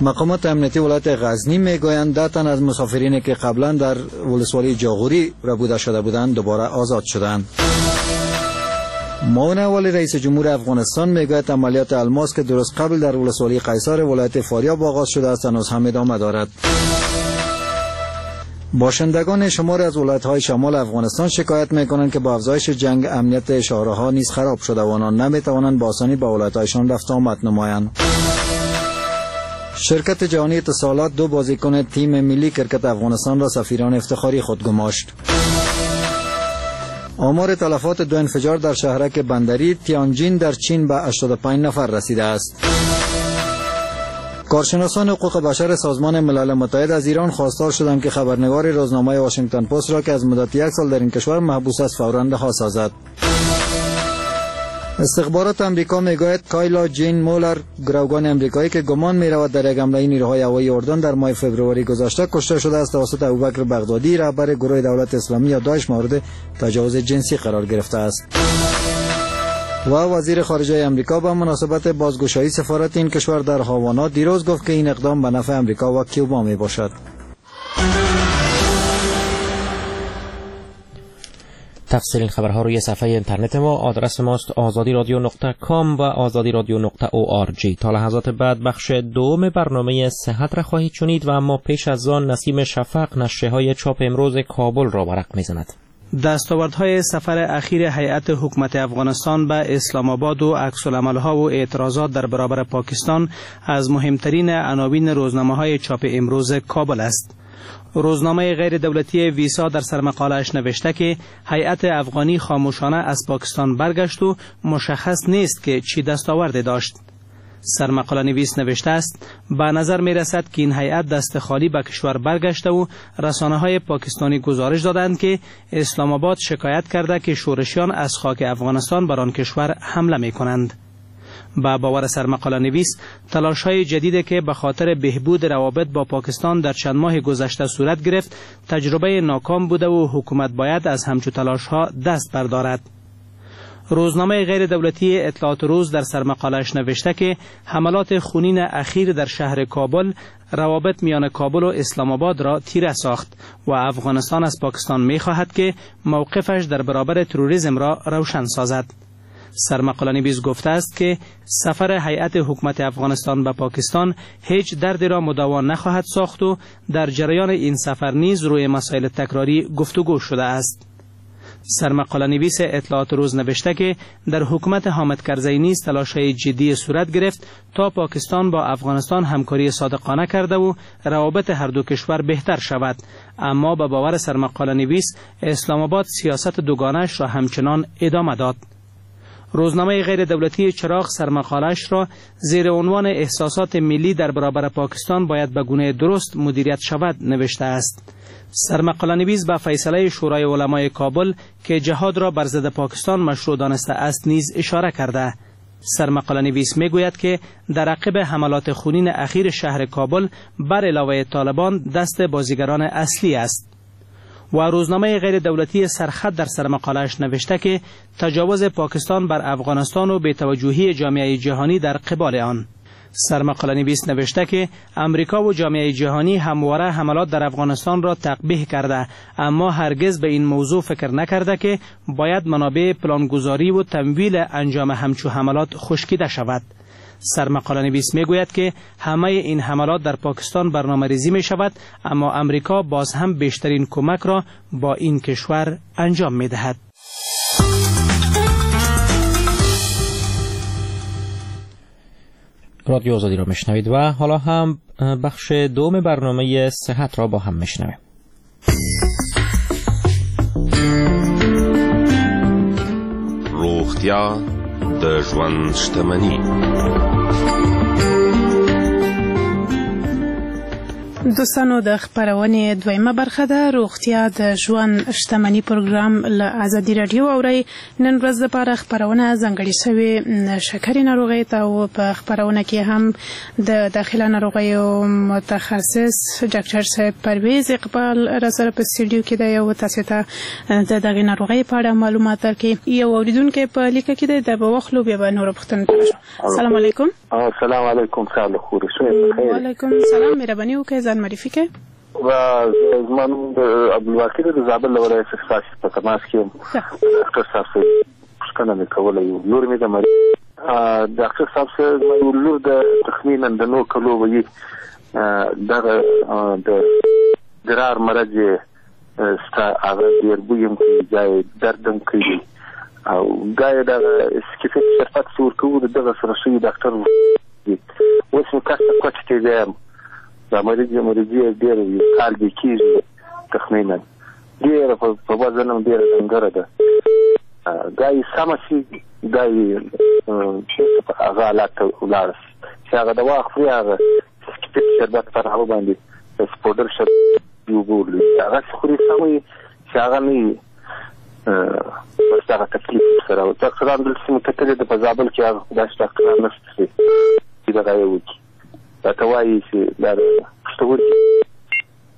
مقامات امنیتی ولایت غزنی میگویند ده تن از مسافرینی که قبلا در ولسوالی جاغوری ربوده شده بودند دوباره آزاد شدند. معاون اول رئیس جمهور افغانستان میگوید عملیات الماس که درست قبل در ولسوالی قیصار ولایت فاریاب آغاز شده است هنوز هم ادامه دارد. باشندگان شمار از ولایت‌های شمال افغانستان شکایت می‌کنند که با افزایش جنگ امنیت شهرها نیز خراب شده و آنان نمی‌توانند با آسانی به ولایت‌هایشان رفت آمد نمایند. شرکت جهانی اتصالات دو بازیکن تیم ملی کرکت افغانستان را سفیران افتخاری خود گماشت. آمار تلفات دو انفجار در شهرک بندری تیانجین در چین به هشتاد و پنج نفر رسیده است. کارشناسان حقوق بشر سازمان ملل متحد از ایران خواستار شدند که خبرنگار روزنامه واشنگتن پست را که از مدت یک سال در این کشور محبوس است فوراً رها سازد. استخبارات امریکا میگوید کایلا جین مولر، گروگان امریکایی که گمان میرود در یک حمله نیروهای هوایی اردن در ماه فوریه گذشته کشته شده است، توسط ابوبکر بغدادی رهبر گروه دولت اسلامی یا داعش مورد تجاوز جنسی قرار گرفته است. و وزیر خارجه امریکا به مناسبت بازگشایی سفارت این کشور در هاوانا دیروز گفت که این اقدام به نفع امریکا و کیوبا می باشد. تفصیل این خبرها روی صفحه اینترنت ما، آدرس ماست آزادی رادیو نقطه کام و آزادی رادیو نقطه او آر جی. تا لحظات بعد بخش دوم برنامه صحت را خواهید شنید و اما پیش از آن نسیم شفق نشریه‌های چاپ امروز کابل را ورق می‌زند. دستاوردهای سفر اخیر هیئت حکومت افغانستان به اسلام آباد و عکس‌العمل‌ها و اعتراضات در برابر پاکستان از مهمترین عناوین روزنامه‌های چاپ امروز کابل است. روزنامه غیر دولتی ویسا در سرمقاله‌اش نوشته که هیئت افغانی خاموشانه از پاکستان برگشت و مشخص نیست که چی دستاورد داشت. سرمقاله نویس نوشته است به نظر می رسد که این هیئت دست خالی به کشور برگشته و رسانه های پاکستانی گزارش دادند که اسلام آباد شکایت کرده که شورشیان از خاک افغانستان بر آن کشور حمله می کنند. به باور سرمقاله نویس تلاش های جدید که به خاطر بهبود روابط با پاکستان در چند ماه گذشته صورت گرفت تجربه ناکام بوده و حکومت باید از همچو تلاش ها دست بردارد. روزنامه غیر دولتی اطلاعات روز در سرمقاله‌اش نوشته که حملات خونین اخیر در شهر کابل روابط میان کابل و اسلام آباد را تیره ساخت و افغانستان از پاکستان می‌خواهد که موقفش در برابر تروریسم را روشن سازد. سرمقاله نویس گفته است که سفر هیئت حکومت افغانستان به پاکستان هیچ دردی را مداوا نخواهد ساخت و در جریان این سفر نیز روی مسائل تکراری گفتگو شده است. سرمقاله نویس اطلاعات روز نوشته که در حکومت حامد کرزی نیز تلاش‌های جدی صورت گرفت تا پاکستان با افغانستان همکاری صادقانه کرده و روابط هر دو کشور بهتر شود، اما به باور سرمقاله نویس اسلام آباد سیاست دوگانه‌اش را همچنان ادامه داد. روزنامه غیر دولتی چراغ سرمقاله‌اش را زیر عنوان احساسات ملی در برابر پاکستان باید به گونه درست مدیریت شود نوشته است. سرمقاله نویس به فیصله شورای علمای کابل که جهاد را بر ضد پاکستان مشروع دانسته است نیز اشاره کرده. سرمقاله نویس میگوید که در عقب حملات خونین اخیر شهر کابل بر علاوه طالبان دست بازیگران اصلی است. و روزنامه غیر دولتی سرخط در سرمقاله‌اش نوشته که تجاوز پاکستان بر افغانستان و بی‌توجهی جامعه جهانی در قبال آن. سرمقاله نویس نوشته که امریکا و جامعه جهانی همواره حملات در افغانستان را تقبیح کرده، اما هرگز به این موضوع فکر نکرده که باید منابع پلانگذاری و تمویل انجام همچو حملات خشکیده شود. سرمقاله نویس میگوید که همه این حملات در پاکستان برنامه ریزی می شود، اما امریکا باز هم بیشترین کمک را با این کشور انجام می دهد. رادیو آزادی را میشنوید و حالا هم بخش دوم برنامه صحت را با هم میشنویم. روغتیا د ژوند شتمنی. دوستانو د خپرونې دویمه برخه ده، روغتیا د ژوند شتمني پروګرام له ازادي راډیو اورئ. نن ورځ لپاره خپرونه ځانګړې شوې شکرې ناروغۍ ته او په خپرونه کې هم د داخله ناروغیو متخصص ډاکټر صاحب پرویز اقبال را سره په سټډیو کې دی او تاسو ته د دغې ناروغۍ په اړه معلومات درکړي. یو اورېدونکی په لیکه کې دی، دا به واخلو بیا به نورو پوښتنو ته راشو. السلام علیکم. السلام علیکم. وعلیکم السلام. مهرباني وکړئ ځان معرفي کړئ. و زما نوم د عبدالواقي دی، د زابل له ولایت څخه ستاسو په تماس کې یم. ډاکټر صاحب څه پوښتنه مې کوله، یو لور مې د مریض. ډاکټر صاحب څه زما یو لور د تخمیناً د نهو کلو به یي، دغه د ادرار مرض یې سته، هغه ډېر بوی هم کوي، ځای درد هم کوي او ګا یې دغه سکیفیت شربت چې ورکوو د دغه سره ښه ډاکټر اوس مې کس ته کوټې ته ځم. دا مریض مریضي یې ډېره یو کال به کېږي تخمیناً، ډېره په وزن هم ډېره ډنګره ده. دا یې سمه شي، دا یې بېرته په هغه حالت ته ولاړه شي چې هغه دوا خوري، هغه سکیفیت شربت پر هغه باندې پوډر شربت اوبه ورلوي، هغه چې خوري سمه وي، چې هغه نه وي بس دغه تکلیف ورسره. ډاکټران دلته مې کتلې ده په زابل کې، هغه داسې ډاکټران نشته چې دغه یې وکړي، راته وایي چې دا پښتورګي.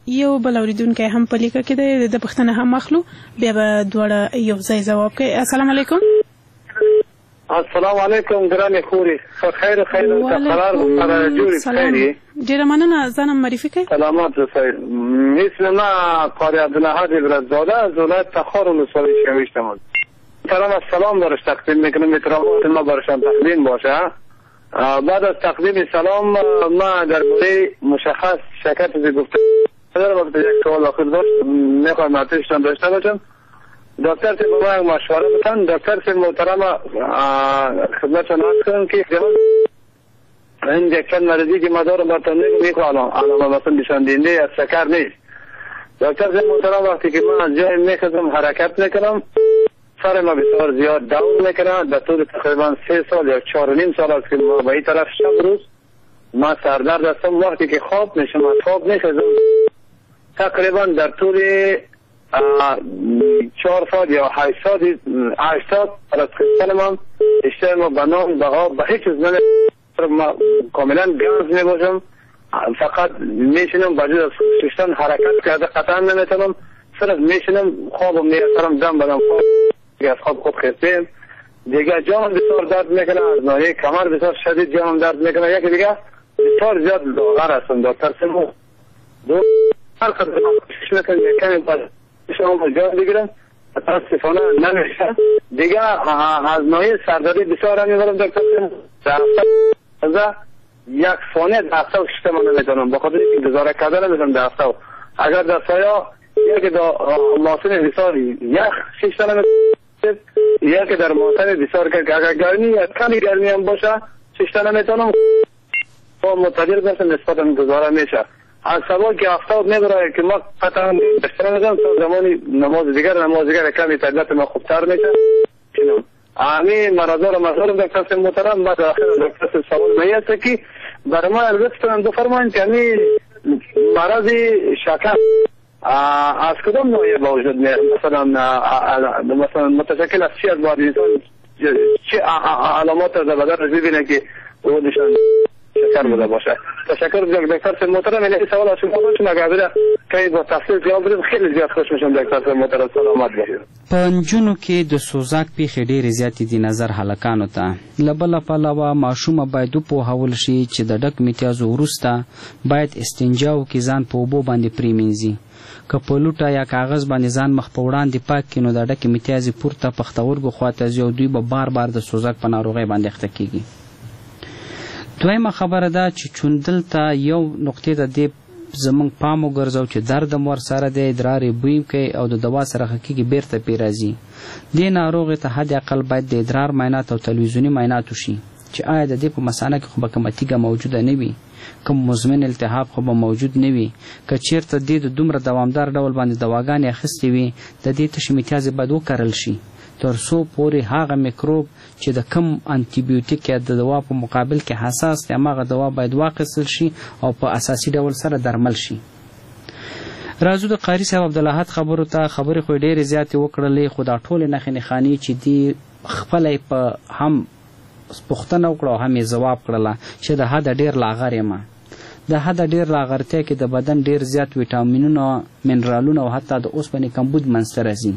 یو بل اورېدونکی هم په لیکه کې دی، د پوښتنه هم اخلو بیا به دواړه یو ځای ځواب کوي. السلام علیکم. السلام علیکم ګرانې خورې، خیر خیر قرار سره جوړ خیر. ډېره مننه، ځان هم معرفي کړئ. سلامات اوسئ. مثل ما قاری عبدالحد ابراهیمزاده از ولایت تخار ولسوالی شویشتم. سلام از سلام برش تقدیم میکنم، احترامات ما برشان تقدیم باشه. بعد از تقدیم سلام ما درباره مشخص شرکت گفته دارم، البته یک سوال آخر داشت میخوایم اتشتان داشته باشم. دکتر صاحب به ما مشوره بدن. دکتر صاحب محترم خدمتتان عرض کنم که این یک چند مریضی که ما دارم براتون میگم، یک علامه مثلا نشان دهنده از شکر نیست. دکتر صاحب محترم وقتی که من از جای میخزم حرکت میکنم، سر ما بسیار زیاد دور میکنه. در طول تقریبا سه سال یا چهار و نیم سال است که ما به این طرف شب روز ما سردرد هستم. وقتی که خواب میشم از خواب میخزم تقریبا در طول چهار ساعت یا هشت ساعت هشت ساعت از خستن ما اشتر ما به نان به آب به هیچ چیز نمی، ما کاملا گاز میباشم، فقط میشینم بجز از ششتن حرکت کرده قطعا نمیتونم، صرف میشینم خوابم میسرم دم بدم خواب از خواب خوب خستیم دیگه. جانم بسیار درد میکنه، از ناحیه کمر بسیار شدید جانم درد میکنه. یکی دیگه بسیار زیاد لاغر هستم دکتر سیمو، دو هر قدر کوشش میکنم یک کمی بعد شما جان بگیرم متاسفانه نمیشه دیگه. از ناحیه سردردی بسیار هم میبرم دکتر سیمو، در یک ثانیه در هفته ششته من نمیتونم، به خاطر اینکه گزاره کرده نمیتونم در هفته. اگر در سایه یکی در موسم بسیار یخ شیشته نمیتونم، یکی در موسم بسیار که اگر گرمی یا کمی گرمی هم باشه شیشته نمیتونم، با متعدل باشم نسبت هم گزاره میشه. از سبا که آفتاب میبره که ما قطعا شیشته نمیتونم تا زمانی نماز دیگر نماز دیگر کمی طبیعت ما خوبتر میشه. همین مرضا رو مزارم دکتر محترم. بعد آخر دکتر سوال میاد که برای ما لطفاً بفرمایید که همین مرض شکر از کدام نوعی به وجود میاد؟ مثلا مثلا متشکل از چی از باید انسان چه علامات در بدن ببینه که او نشان شکر بوده باشه؟ تشکر دکتر محترم. این سوال از شما داشتم، اگر بده که با تفصیل جواب بدید خیلی زیاد خوش میشم دکتر محترم. سلامت باشید. په نجونو کې د سوزاک پیښې ډېرې زیاتې دي نظر هلکانو ته. له بله پلوه ماشومه باید وپوهول شي چې د ډک میتیازو وروسته باید استنجا وکړي، ځان په اوبو باندې پرېمینځي. که په لوټه یا کاغذ باندې ځان مخ په وړاندې پاک کړي نو د ډکې میتیازې پورته پښتورګو خواته ځي او دوی به بار بار د سوزاک په ناروغۍ باندې اخته کیږي. دویمه خبره ده چې چون دلته یو نقطې ته دې زمونږ پام وګرځو چې درد هم ورسره دی، ادرار یې بوی کوي او د دوا سره ښه کېږي بېرته پرې راځي. دې ناروغې ته حد اقل باید د ادرار معاینات او تلویزیوني معاینات وشي چې آیا د دې په مثانه کې خو به کومه تیږه موجوده نه وي، کوم مزمن التهاب خو به موجود نه وي. که چیرته دې د دومره دوامدار ډول باندې دواګانې اخیستې وي د دې تشې میتیازې باید وکرل شي تر څو پورې هغه میکروب چې د کم انتیبیوتیک یا د دوا په مقابل کې حساس دی هماغه دوا باید واخیستل شي او په اساسي ډول سره درمل شي. راځو د قاري صاحب عبدالاحد خبرو ته. خبرې خو یې ډېرې زیاتې وکړلې، خو دا ټولې نښې نښانې چې دي خپله یې په هم پوښتنه وکړه او هم یې ځواب کړله چې د حده ډېر لاغر یم. د حده ډېر لاغرتیا کې د بدن ډېر زیات ویټامینونه، منرالونه او حتی د اوسپنې کمبود منځته راځي.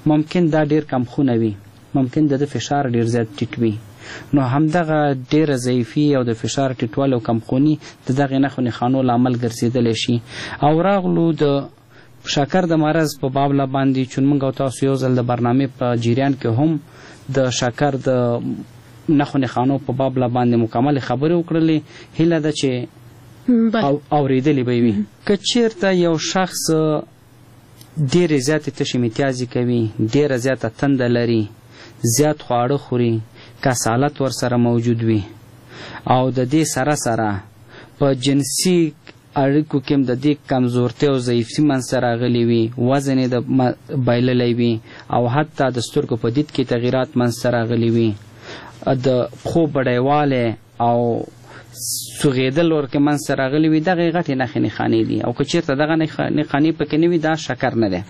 ممکن دا ډېر کمخونه وي، ممکن د ده فشار ډېر زیات ټیټ وي. نو همدغه ډېره ضعیفي او د فشار ټیټوالی او کمخوني د دغې نښو نښانو لامل ګرځېدلی شي. او راغلو د شکر د مرض په بابله باندې، چون موږ او تاسو یو ځل د برنامې په جریان کې هم د شکر د نښو نښانو په بابله باندې مکملې خبرې وکړلې، هیله ده چې اورېدلې به وي. که چیرته یو شخص ډېرې زیاتې تشې میتیازې کوي، ډېره زیاته تنده لري، زیات خواړه خوري، کسالت ورسره موجود وي او د دې سره سره په جنسي اړیکو کې هم د دې کمزورتیا او ضعیفي منځته راغلي وي، وزن یې د بایللی وي او حتی د سترګو په دید کې تغیرات منځته راغلي وي، د پښو بډایوالی او سوغېدل ورکې منځته راغلي وي، دغه غټې نښې نښانې دي. او که چیرته دغه نښانې پکې نه وي دا شکر نه دی.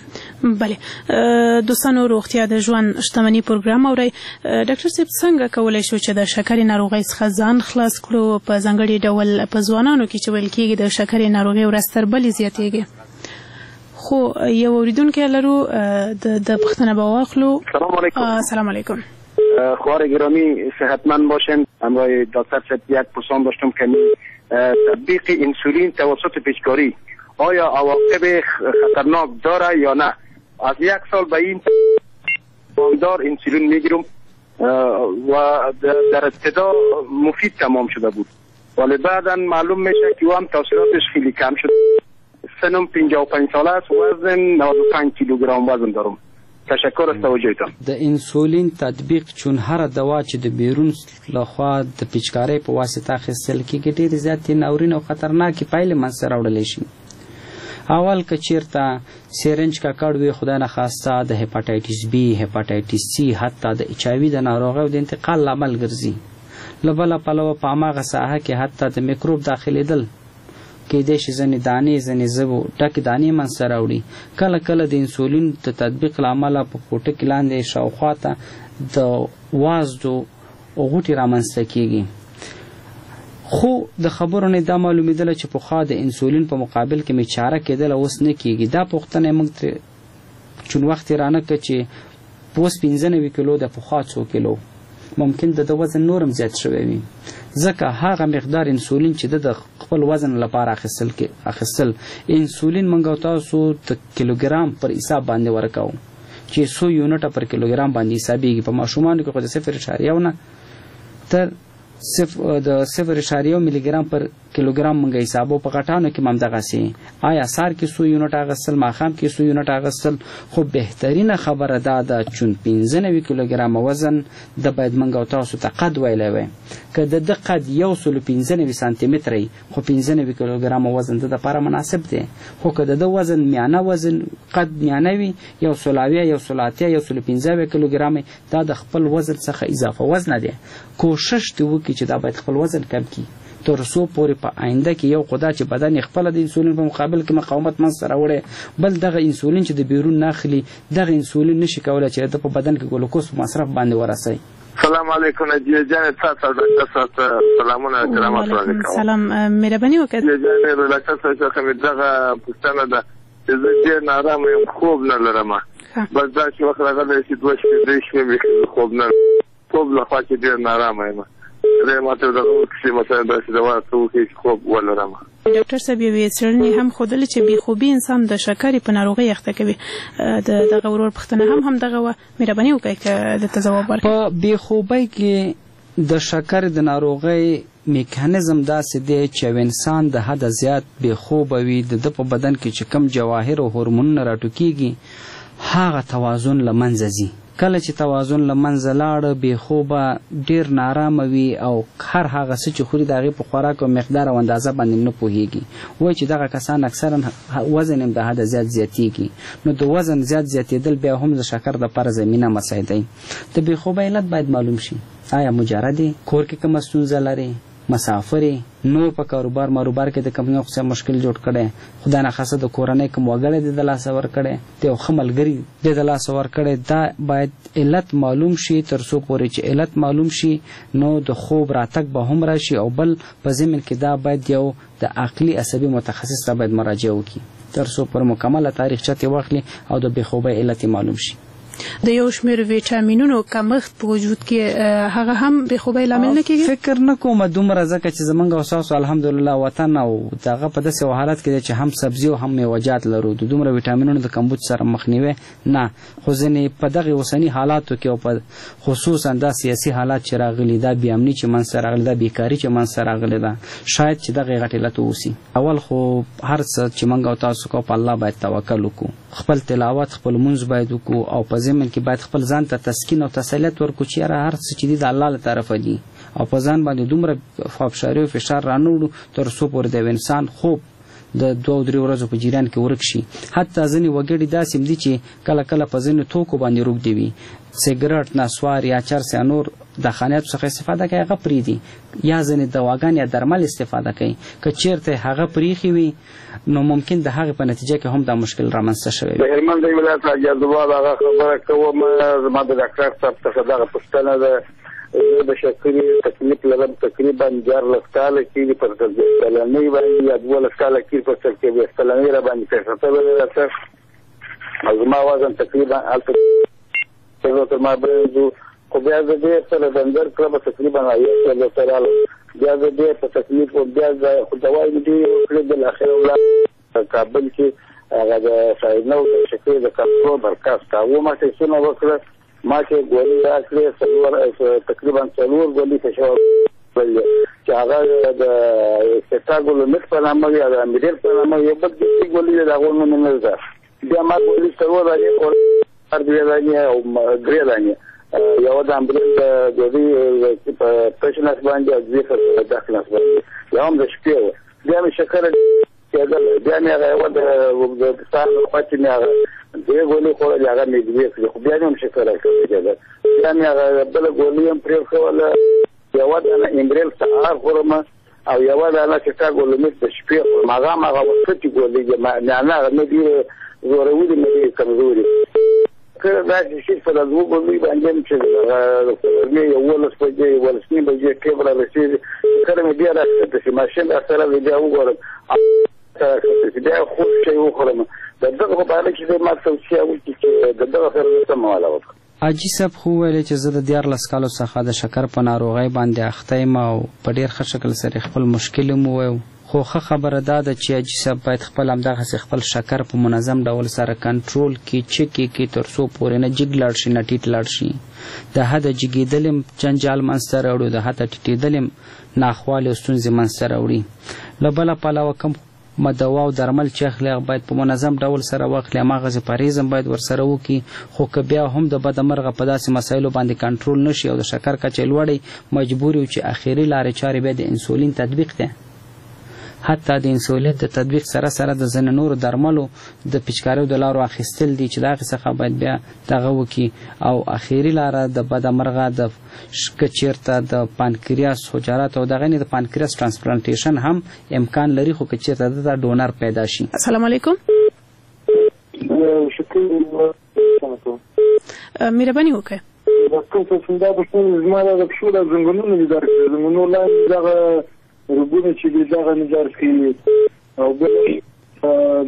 بله دوستانو، روغتیا د ژوند شتمني پروګرام اورئ. ډاکټر صاحب، څنګه کولی شو چې د شکرې ناروغۍ څخه ځان خلاص کړو، په ځانګړي ډول په ځوانانو کې چې ویل کېږي د شکرې ناروغي ورځ تر بلې زیاتېږي؟ خو یو اورېدونکی لرو، د پوښتنه به واخلو. سلام علیکم. سلام علیکم. خواهر گرامی صحتمند باشند. همراه دکتر صاحب یک پرسان داشتم که تطبیق انسولین توسط پیچکاری آیا عواقب خطرناک داره یا نه؟ از یک سال به این دار انسولین میگیرم و در ابتدا مفید تمام شده بود، ولی بعدا معلوم میشه که او هم تاثیراتش خیلی کم شد. سنم پنجاه و پنج ساله است، وزن نود و پنج کیلوگرم وزن دارم. تشکر از توجهتان. د انسولین تطبیق چون هره دوا چې د بیرون لخوا د پیچکارۍ په واسطه اخیستل کېږي ډېرې زیاتې ناورین او خطرناکې پایلې منځته راوړلی شي. اول که چیرته سیرنج ککړ وي، خدای نخواسته د هپاتایتس بي، هپاتایتس سي، حتی د اچ آی وي د ناروغیو د انتقال لامل ګرځي. له بله پلوه په هماغه ساحه کې حتی د میکروب داخلېدل کیدای شي، ځینې دانې ځینې زبو ډکې دانې منځته راوړي. کله کله د انسولین د تطبیق له امله په پوټکي لاندې شاوخوا ته د وازدو غوټې رامنځته کیږي. خو د خبرو نه دا معلومېدله چې پخوا د انسولین په مقابل کې مې چاره کېدله، اوس نه کیږي. دا پوښتنه موږ ترې چون وخت یې رانه کړ چې اوس پنځه نوي کیلو ده، پخوا څو کیلو، ممکن د ده وزن نور هم زیات شوی وي، ځکه هغه مقدار انسولین چې ده د خپل وزن لپاره اخیستل اخیستل انسولین موږ او تاسو د کیلوګرام پر حساب باندې ورکوو چې څو یونټه پر کیلوګرام باندې حسابېږي. په ماشومانو کې خو د صفر اعشاریه یو نه تر صفر د صفر اعشاریه یو ملي ګرام پر کیلوګرام مونږ حسابو. په غټانو کې هم دغسې، آیا سهار کې څو یونټ اخیستل، ماښام کې څو یونټ اخیستل. خو بهترینه خبره دا ده چون پنځه نوي کیلوګرامه وزن د باید مونږ او تاسو ته قد ویلی وای. که د ده قد یو سل پنځه نوي سانتي متره وي، خو پنځه نوي کیلوګرامه وزن د دپاره مناسب دی. خو که د ده وزن میانه وزن قد میانه وي، یو سل اویا، یو سل اتیا، یو سل پنځه اویا کیلوګرامه، دا د خپل وزن څخه اضافه وزنه دی. کوشش دې وکړي چې دا باید خپل وزن کم کړي تر څو پورې په آینده کې یو خدا چې بدن یې خپله د انسولین په مقابل کې مقاومت منځته راوړی، بل دغه انسولین چې د بیرون نه اخلي دغه انسولین نشي کولی چې د په بدن کې ګلوکوز په مصرف باندې ورسوي. سلام علیکم نجیه جان، تاسو او ډاکټر صاحب ته سلامونه احترامات وړاندې کوم. سلام، مهرباني وکړئ. نجیه جان، ډاکټر صاحب څخه مې دغه پوښتنه ده چې زه ډېر نارامه یم، خوب نه لرم. بس داسې وخت راغلی چې دوه شپې درې شپې مې خوب نه خوب له خوا چې ډېر نارامه یم. خدای ماته دغه وکړي، مثلا داسې دوا راته وکړي چې خوب ولرم. ډاکټر صاحب، یوې څېړنې هم ښودلې چې بې خوبي انسان د شکرې په ناروغۍ اخته کوي. د دغه ورور پوښتنه هم همدغه وه، مهرباني وکړئ که ده ته ځواب ورکړئ. په بې خوبۍ کې د شکرې د ناروغۍ میکانیزم داسې دی چې یو انسان د حده زیات بې خوبه وي، د ده په بدن کې چې کوم جواهر او هورمونونه راټوکېږي هغه توازن له منځه ځي. کله چې توازن له منځه لاړ، بې خوبه، ډېر نارامه وي او هر هغه څه چې خوري د هغې په خوراک او مقدار او اندازه باندې نه پوهېږي. وایي چې دغه کسان اکثرا وزن هم د حده زیات زیاتېږي. نو د وزن زیات زیاتېدل بیا هم د شکر دپاره زمینه مساعدوي. د بې خوبه علت باید معلوم شي. آیا مجرد یې، کور کې کومه ستونزه لرې، مسافر یې، نور په کاروبار ماروبار کې د کوم یو څه مشکل جوړ کړی، خدای نخواسته د کورنۍ کوم وګړی دې د لاسه ورکړی، د یو ښه ملګري دې د لاسه ورکړی، دا باید علت معلوم شي. تر څو پورې چې علت معلوم شي نو د خوب راتګ به هم راشي. او بل په ضمن کې دا باید یو د عقلي عصبي متخصص ته باید مراجعه وکړي تر څو پر مکمله تاریخچه ترې واخلي او د بې خوبۍ علت یې معلوم شي. د یو شمېر ویټامینونو کمښت په وجود کې هغه هم بې خوبۍ لامل نه کېږي؟ فکر نه کوم دومره، ځکه چې زمونږ او ستاسو الحمدلله وطن او دغه په داسې یو حالت کې دی چې هم سبزي او هم میوهجات لرو، د دومره ویټامینونو د کمبود سره مخنیوی نه. خو ځینې په دغې اوسني حالاتو کې او په خصوصا دا سیاسي حالات چې راغلي، دا بې امني چې منځته راغلې، دا بېکاري چې منځته راغلې ده، شاید چې دغه غټ علت واوسي. اول خو هر څه چې موږ او تاسو کوو په الله باید توکل وکړو، خپل تلاوت خپل لمونځ باید وکړو او په ضمن کې باید خپل ځان ته تسکین او تسلیت ورکړو چې یاره هر څه چې دي د الله له طرفه دي، او په ځان باندې دومره فابشاري او فشار رانه وړو تر څو پورې د یو انسان خوب د دوو درې ورځو په جریان کې ورک شي. حتی ځینې وګړي داسې هم دي چې کله کله په ځینو توکو باندې روږدي وي، سګرټ، نسوار یا چرس یا نور دخانیاتو څخه استفاده کوي، هغه پرېږدي، یا ځینې دواګان یا درمل استفاده کوي. که چیرته هغه پرېښي وي نو ممکن د هغې په نتیجه کې هم دا مشکل رامنځته شوی وي. د هلمند د ولایت حاجي عبدالله هغه خبره کوم، زما د ډاکټر صاحب څخه دغه پوښتنه ده. زه د شکرې تکلیف لرم، تقریبا دیارلس کاله کېږي پر څلوېښت کلنۍ باندې یا دولس کاله کېږي پر څلوېښت کلنۍ را باندې پېښه شوې ده. او زما وزن تقریبا هلته تر ما برنځو، خو بیا زه ډېر سره ډنګر کړم، تقریبا اویا کیلو ته راغلم. بیا زه ډېر په تکلیف وم، بیا زه خو دوايي مې ډېرې وکړې. بالاخره ولاړم کابل کې هغه د شاهینو د شکرې د کنټرول مرکز ته، هغو ما ټېسټونه وکړه، ما چې ګولۍ راکړې څلور تقریبا څلور ګولۍ فشار چې هغه د سټاګولومیټ په نامه وي، د امیریل په نامه یو بل داسې ګولۍ د هغو نوم مې نه زده. بیا ما ګولۍ څلور دانې خوړلې، دوې دانې او درې دانې، یوه د امبریل د ډوډۍ په تش نس باندې او دوې په ډک نس باندې، یوه هم د شپې وه. بیا مې شکره کېدله، بیا مې هغه یوه د سهار له خوا چې مې هغه درې ګولۍ خوړلې، هغه مې دوې کړې، خو بیا مې هم شکره کېدله. بیا مې هغه بله ګولۍ هم پرېښوله، یوه دانه امبریل سهار خورم او یوه دانه چې ټاګولومیټ د شپې خورم. هغه هم هغه وختي ګولۍ دي، معنا هغه نه ډېرې زورولې نه ډېرې کمزورې. کله داسې شي په دا دوه ګولۍ باندې هم چې غرمې یوولس بجې یوولس نیم بجې ټیم را رسېږي، کله مې بیا راکښته شي ماشین راسره دی، بیا وګورم راکښته شي، بیا خوږ شی وخورم. د دغه په باره کې ما توصیه وکړي چې د دغه سره زه څه معامله وکړم. حاجي صاحب خو وویلې چې زه د دیارلس کالو څخه د شکر په ناروغۍ باندې اخته یم او په ډېر ښه شکل سره خپل مشکل هم وویو، خو ښه خبره دا ده چې حاجي صاحب باید خپل همدغسې خپل شکر په منظم ډول سره کنټرول کړي، چک یې کړي، تر څو پورې نه جګ لاړ شي نه ټیټ لاړ شي. د حده جګېدل هم جنجال منځته راوړي، د حده ټیټېدل هم ناخوالې او ستونزې منځته راوړي. له بله پلوه کوم دوا او درمل چې اخلي هغه باید په منظم ډول سره واخلي، هماغسې پرهېز هم باید ورسره وکړي. خو که بیا هم د بده مرغه په داسې مسایلو باندې کنټرول نه شي او د شکر کچه یې لوړې، مجبور یو چې اخري لارې چارې بیا د انسولین تطبیق دی. حتی د انسولین د تطبیق سره سره د ځینې نورو درملو د پیچکاریو د لارو اخیستل دي چې د هغې څخه باید بیا دغه وکړي. او اخري لاره د بده مرغه د که چېرته د پانکریاس حجرات او دغه د پانکریاس transplantation هم امکان لري، خو که چېرته دته donor پیدا شي. السلام علیکم. مهرباني وکړئ. ډاکټر صاحب دا پوښتنه زما د پښو د زنګونونو مې درد کوي، زنګونو لاندې دغه رګونه چې دي دغه مې درد کوي، او بل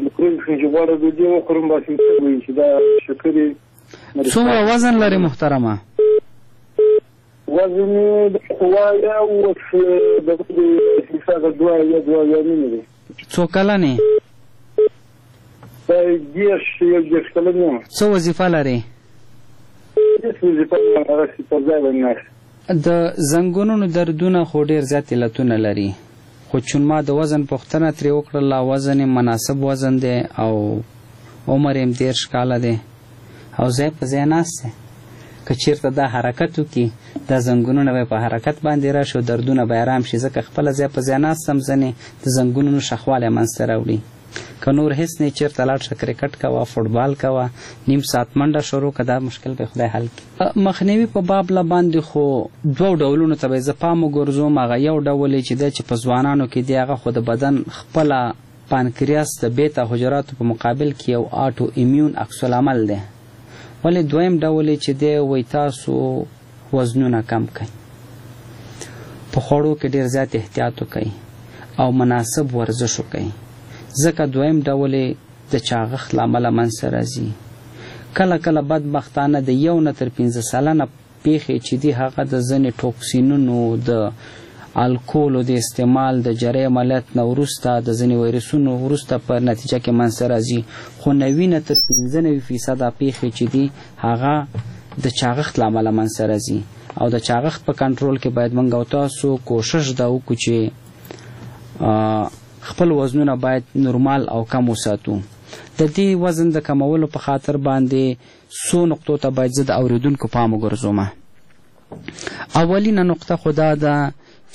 مکروب چې غواړم ډوډۍ وخورم بس مې څه وایي چې دا شکرې. څومره وزن لرې محترمه؟ وزن مې اویا اوس د حسابه دوه یا دوه یا نیمې دی. څو کلن یې؟ دېرش یو دېرش کلن یم. څه وظیفه لرې؟ هېڅ وظیفه نه لرم، هغسې پر ځای باندې ناست. د زنګونونو دردونه خو ډېر زیات علتونه لري، خو چون ما د وزن پوښتنه ترې وکړله، وزن یې مناسب وزن دی او عمر یې دېرش کاله دی او ځای په ځای ناست دی. که چېرته دا حرکت وکړي دا زنګونونه به په حرکت باندې راشي او دردونه به ارام شي، ځکه خپله ځای په ځای ناست هم ځینې د زنګونونو شخوالی منځته راوړي. که نور هېڅ نه، چېرته لاړ شه کرکټ کوه، فوټبال کوه، نیم ساعت منډه شروع که، دا مشکل به خدای حل کړي. مخنیوي په باب له باندې خو دوو ډولونو ته به زه پام وګرځوم. هغه یو ډول یې چې دی چې په ځوانانو کې دی، هغه خو د بدن خپله پانکریاس د بیتا حجراتو په مقابل کې یو auto immune عکس العمل دی. ولې دویم ډول یې چې دی وایي تاسو وزنونه کم کړئ، په خوړو کې ډېر زیات احتیاط وکړئ او مناسب ورزش وکړئ، ځکه دویم ډول یې د چاغښت له امله منځته راځي. کله کله بدبختانه د یو نه تر پنځه سلنه پېښې چې دي هغه د ځینې ټوکسینونو، د الکولو د استعمال، د جرۍ عملیات نه وروسته، د ځینې ویروسونو وروسته په نتیجه کې منځته راځي. خو نوي نه تر پنځه نوي فیصده پېښې چې دي هغه د چاغښت له امله منځته راځي. او د چاغښت په کنټرول کې باید موږ او تاسو کوشش دا وکړو چې خپل وزنونه باید نورمال او کم وساتو. د دې وزن د کمولو په خاطر باندې څو نقطو ته باید زه د اورېدونکو پام وګرځوم. اولینه نقطه خو دا ده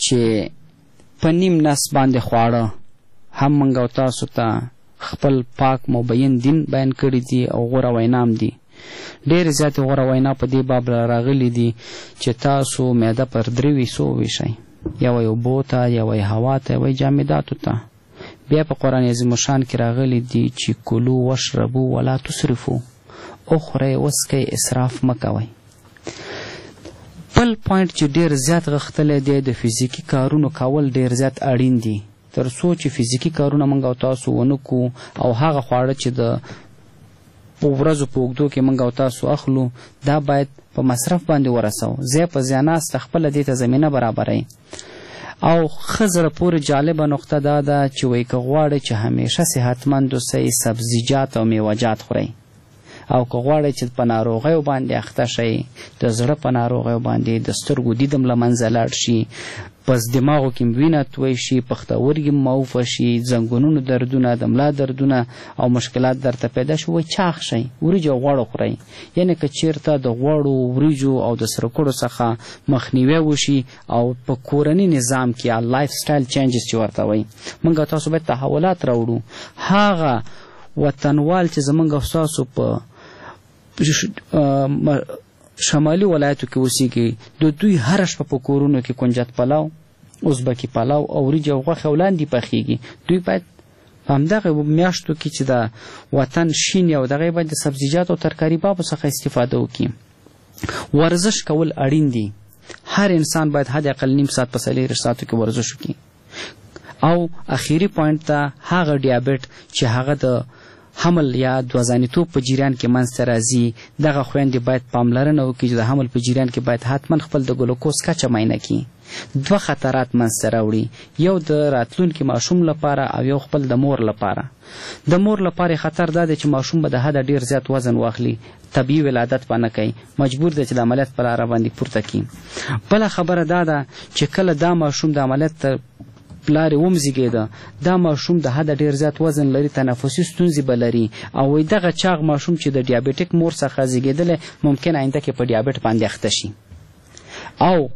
چې په نیم نس باندې خواړه هم موږ او تاسو ته خپل پاک مبین دین بیان کړي دي او غوره وینا هم دي. ډېرې زیاتې غوره وینا په دې باب راغلي دي چې تاسو معده پر درې حصو وویشئ، یوه یې اوبو ته، یوه یې هوا ته، یوه یې جامداتو ته. بیا په قرآن عظیم الشان کې راغلي دي چې کلو واشربو ولا تسرفو، وخورئ وڅکئ اسراف مه کوئ. بل point چې ډېر زیات غښتلی دی د فزیکي کارونو کول ډېر زیات اړین دي، تر څو چې فزیکي کارونه موږ او تاسو ونه کړو او هغه خواړه چې د ورځو په اوږدو کې موږ او تاسو اخلو دا باید په مصرف باندې ورسوو، ځای په ځای ناسته خپله دې ته زمینه برابروي. او ښه زړه پورې جالبه نقطه دا ده چې وایي که غواړئ چې همیشه صحتمند اوسئ سبزیجات او میوهجات خورئ، او که غواړئ چې په ناروغیو باندې اخته شئ، د زړه په ناروغیو باندې، د سترګو دید هم له منځه لاړ شي، پس دماغو کې وینه توی شي، پښتورګي موفه شي، زنګونونو دردونه، د ملا دردونه او مشکلات درته پیدا شي، وایي چاغ شئ، وریجې او غوړ وخورئ. یعنې که چیرته د غوړو، وریجو او د سرکړو څخه مخنیوی وشي او په کورني نظام کې یا lifestyle changes چې ورته وایي، موږ تاسو باید تحولات راوړو. هغه وطنوال چې زموږ او ستاسو په شمالي ولایتو کې اوسیږي، د دوی هره شپه په کورونو کې کنجد پلاو، ازبکي پلاو او وریجې او غوښې او لاندې پخېږي. دوی باید په همدغه میاشتو کې چې د وطن شین او دغه باید د سبزیجاتو او ترکاري بابو څخه استفاده وکړي. ورزش کول اړین دي. هر انسان باید حد اقل نیم ساعت په څلېرویشت ساعتو کې ورزش وکړي. او اخیری point ته هغه دیابت چې هغه د حمل یا دوه ځانیتوب په جریان کې منځته راځي، دغه خویندې باید پاملرنه وکړي چې د حمل په جریان کې باید حتما خپل د ګلوکوز کچه معاینه کړي. دوه خطرات منځته راوړي، یو د راتلونکي ماشوم لپاره او یو خپل د مور لپاره. د مور لپاره خطر دا دی چې ماشوم به د حده ډیر زیات وزن واخلي، طبیعي ولادت به نه کوي، مجبور دی چې د عملیات په لاره باندې پورته کړي. بله خبره دا ده چې کله دا ماشوم د عملیات تر لارې ومزیږېده، دا ماشوم د حده ډیر زیات وزن لري، تنفسي ستونزې به لري او وایي دغه چاغ ماشوم چې د ډیابیټیک مور څخه زیږېدلی ممکن آینده کې په ډیابټ باندې اخته شي. او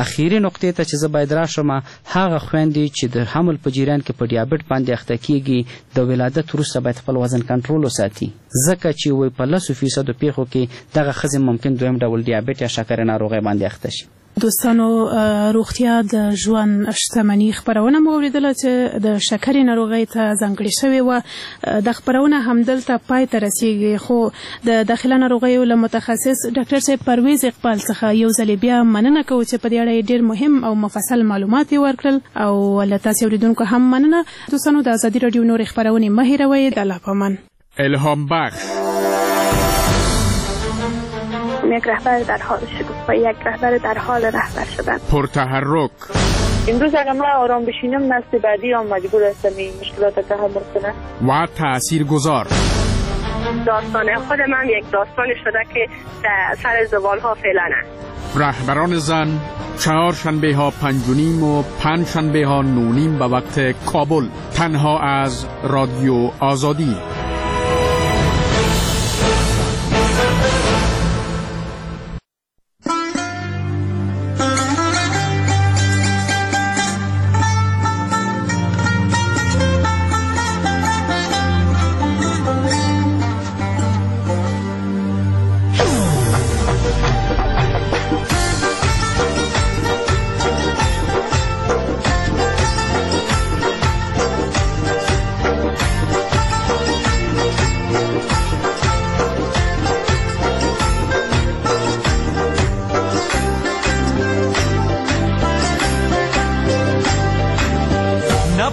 اخیري نقطې ته چې زه باید راشم، هغه خویندې چې د حمل په جریان کې په ډیابټ باندې اخته کیږي، د ولادت وروسته باید خپل وزن کنټرول وساتي، ځکه چې وایي په لسو فیصدو پیښو کې دغه ښځې ممکن دویم ډول ډیابټ یا شکرې ناروغۍ باندې اخته شي. دوستانو، روغتیا د ژوند شتمني خپرونه مو اورېدله چې د شکرې ناروغۍ ته ځانګړې شوې وه. د خپرونه همدلته پای ته رسیږي، خو د داخله ناروغیو له متخصص ډاکټر صاحب پرویز اقبال څخه یو ځل بیا مننه کوو چې په دې اړه یې ډېر مهم او مفصل معلومات یې ورکړل، او له تاسې اورېدونکو هم مننه. دوستانو، د ازادي راډیو نورې خپرونې مه هېروئ. د الله په امان. الهام بخش. یک رهبر در حال شگفتایی، یک رهبر در حال رهبر شدن، پرتحرک. امروز اگر من آرام بشینم نسل بعدی هم مجبور هستم این مشکلات تحمل کنه و تاثیرگذار. داستان خود من یک داستان شده که در سر زبان ها فعلا است. رهبران زن، چهار شنبه ها پنج و نیم و پنج شنبه ها نه و نیم به وقت کابل، تنها از رادیو آزادی.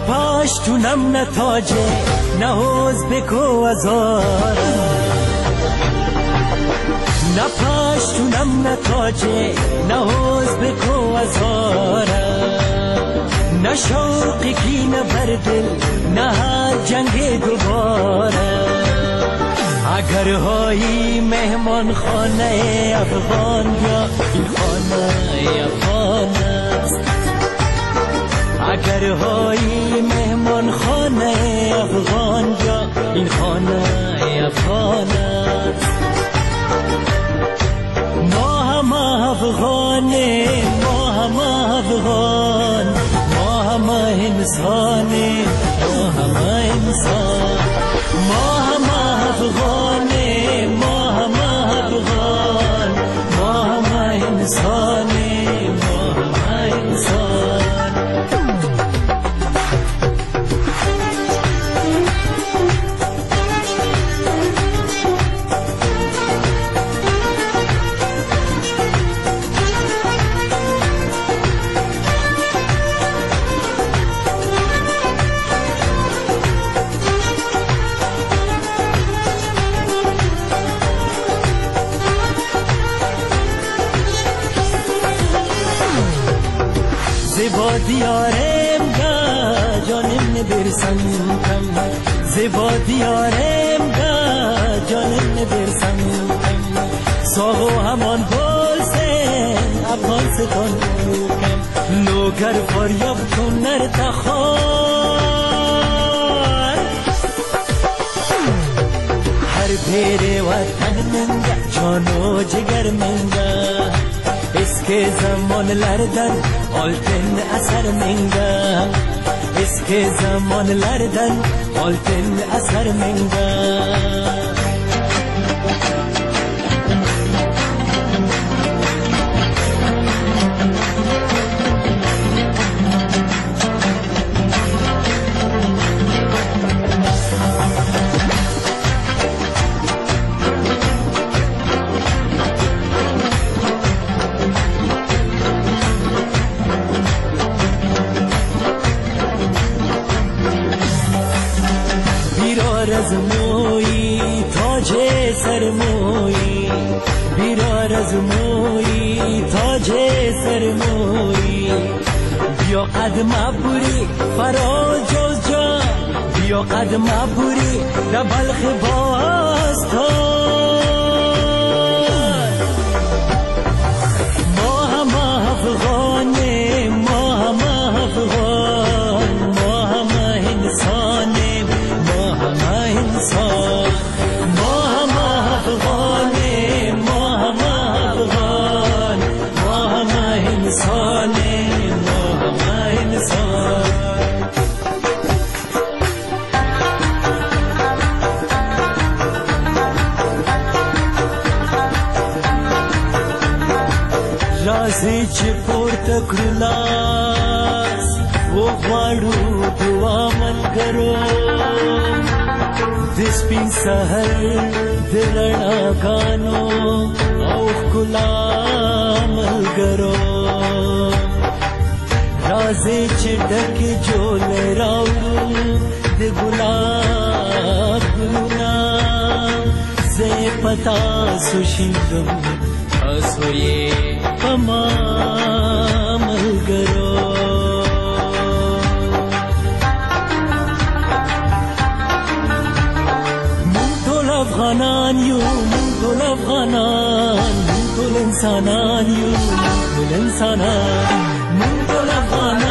پشتونم نه تاجه نه ازبک و هزار، نه پشتونم نه تاجه نه ازبک و هزار، نه شوق کینه بر دل نه جنگ دوباره. اگر هایی مهمان خانه افغان یا این خانه افغان است، اگر هایی مهمان خانه افغان یا این خانه افغان است. ما همه افغانیم، ما همه افغان، ما همه انسانیم، ما همه انسان، ما همه افغانیم، ما همه افغان، ما همه انسانیم، ما همه انسان. زبا دیارم گا جانم نبرسم کم، زبا دیارم گا جانم نبرسم کم، ساغو همان بولسن افغانستان کم، لوگر فاریاب کنر تخار، هر پیر وطن منگه جانو جگر منگه، eski zamanlardan altın asar menga, eski zamanlardan altın asar menga. از تاج سرموری بیا قدم پوری فرا جوزجان بیا قدم پوری د بلخ باستان ما همه افغانیم ما همه افغان ما همه انسانیم ما همه انسان ما همه افغانیم ما همه افغان ما همه انسانیم ما همه انسان. راځئ چې پورته کړو لاس وغواړو دعا ملګرو د سپین سحر د رڼاګانو او ښکلا ملګرو راځئ چې ډکې جولۍ راوړو د ګلاب ګلونه زه یې په تاسو شیندم تاسو یې په ما ملګرو. موږ ټول افغانان یو موږ ټول افغانان موږ ټول انسانان یو موږ ټول انسانان موږ ټول افغانان.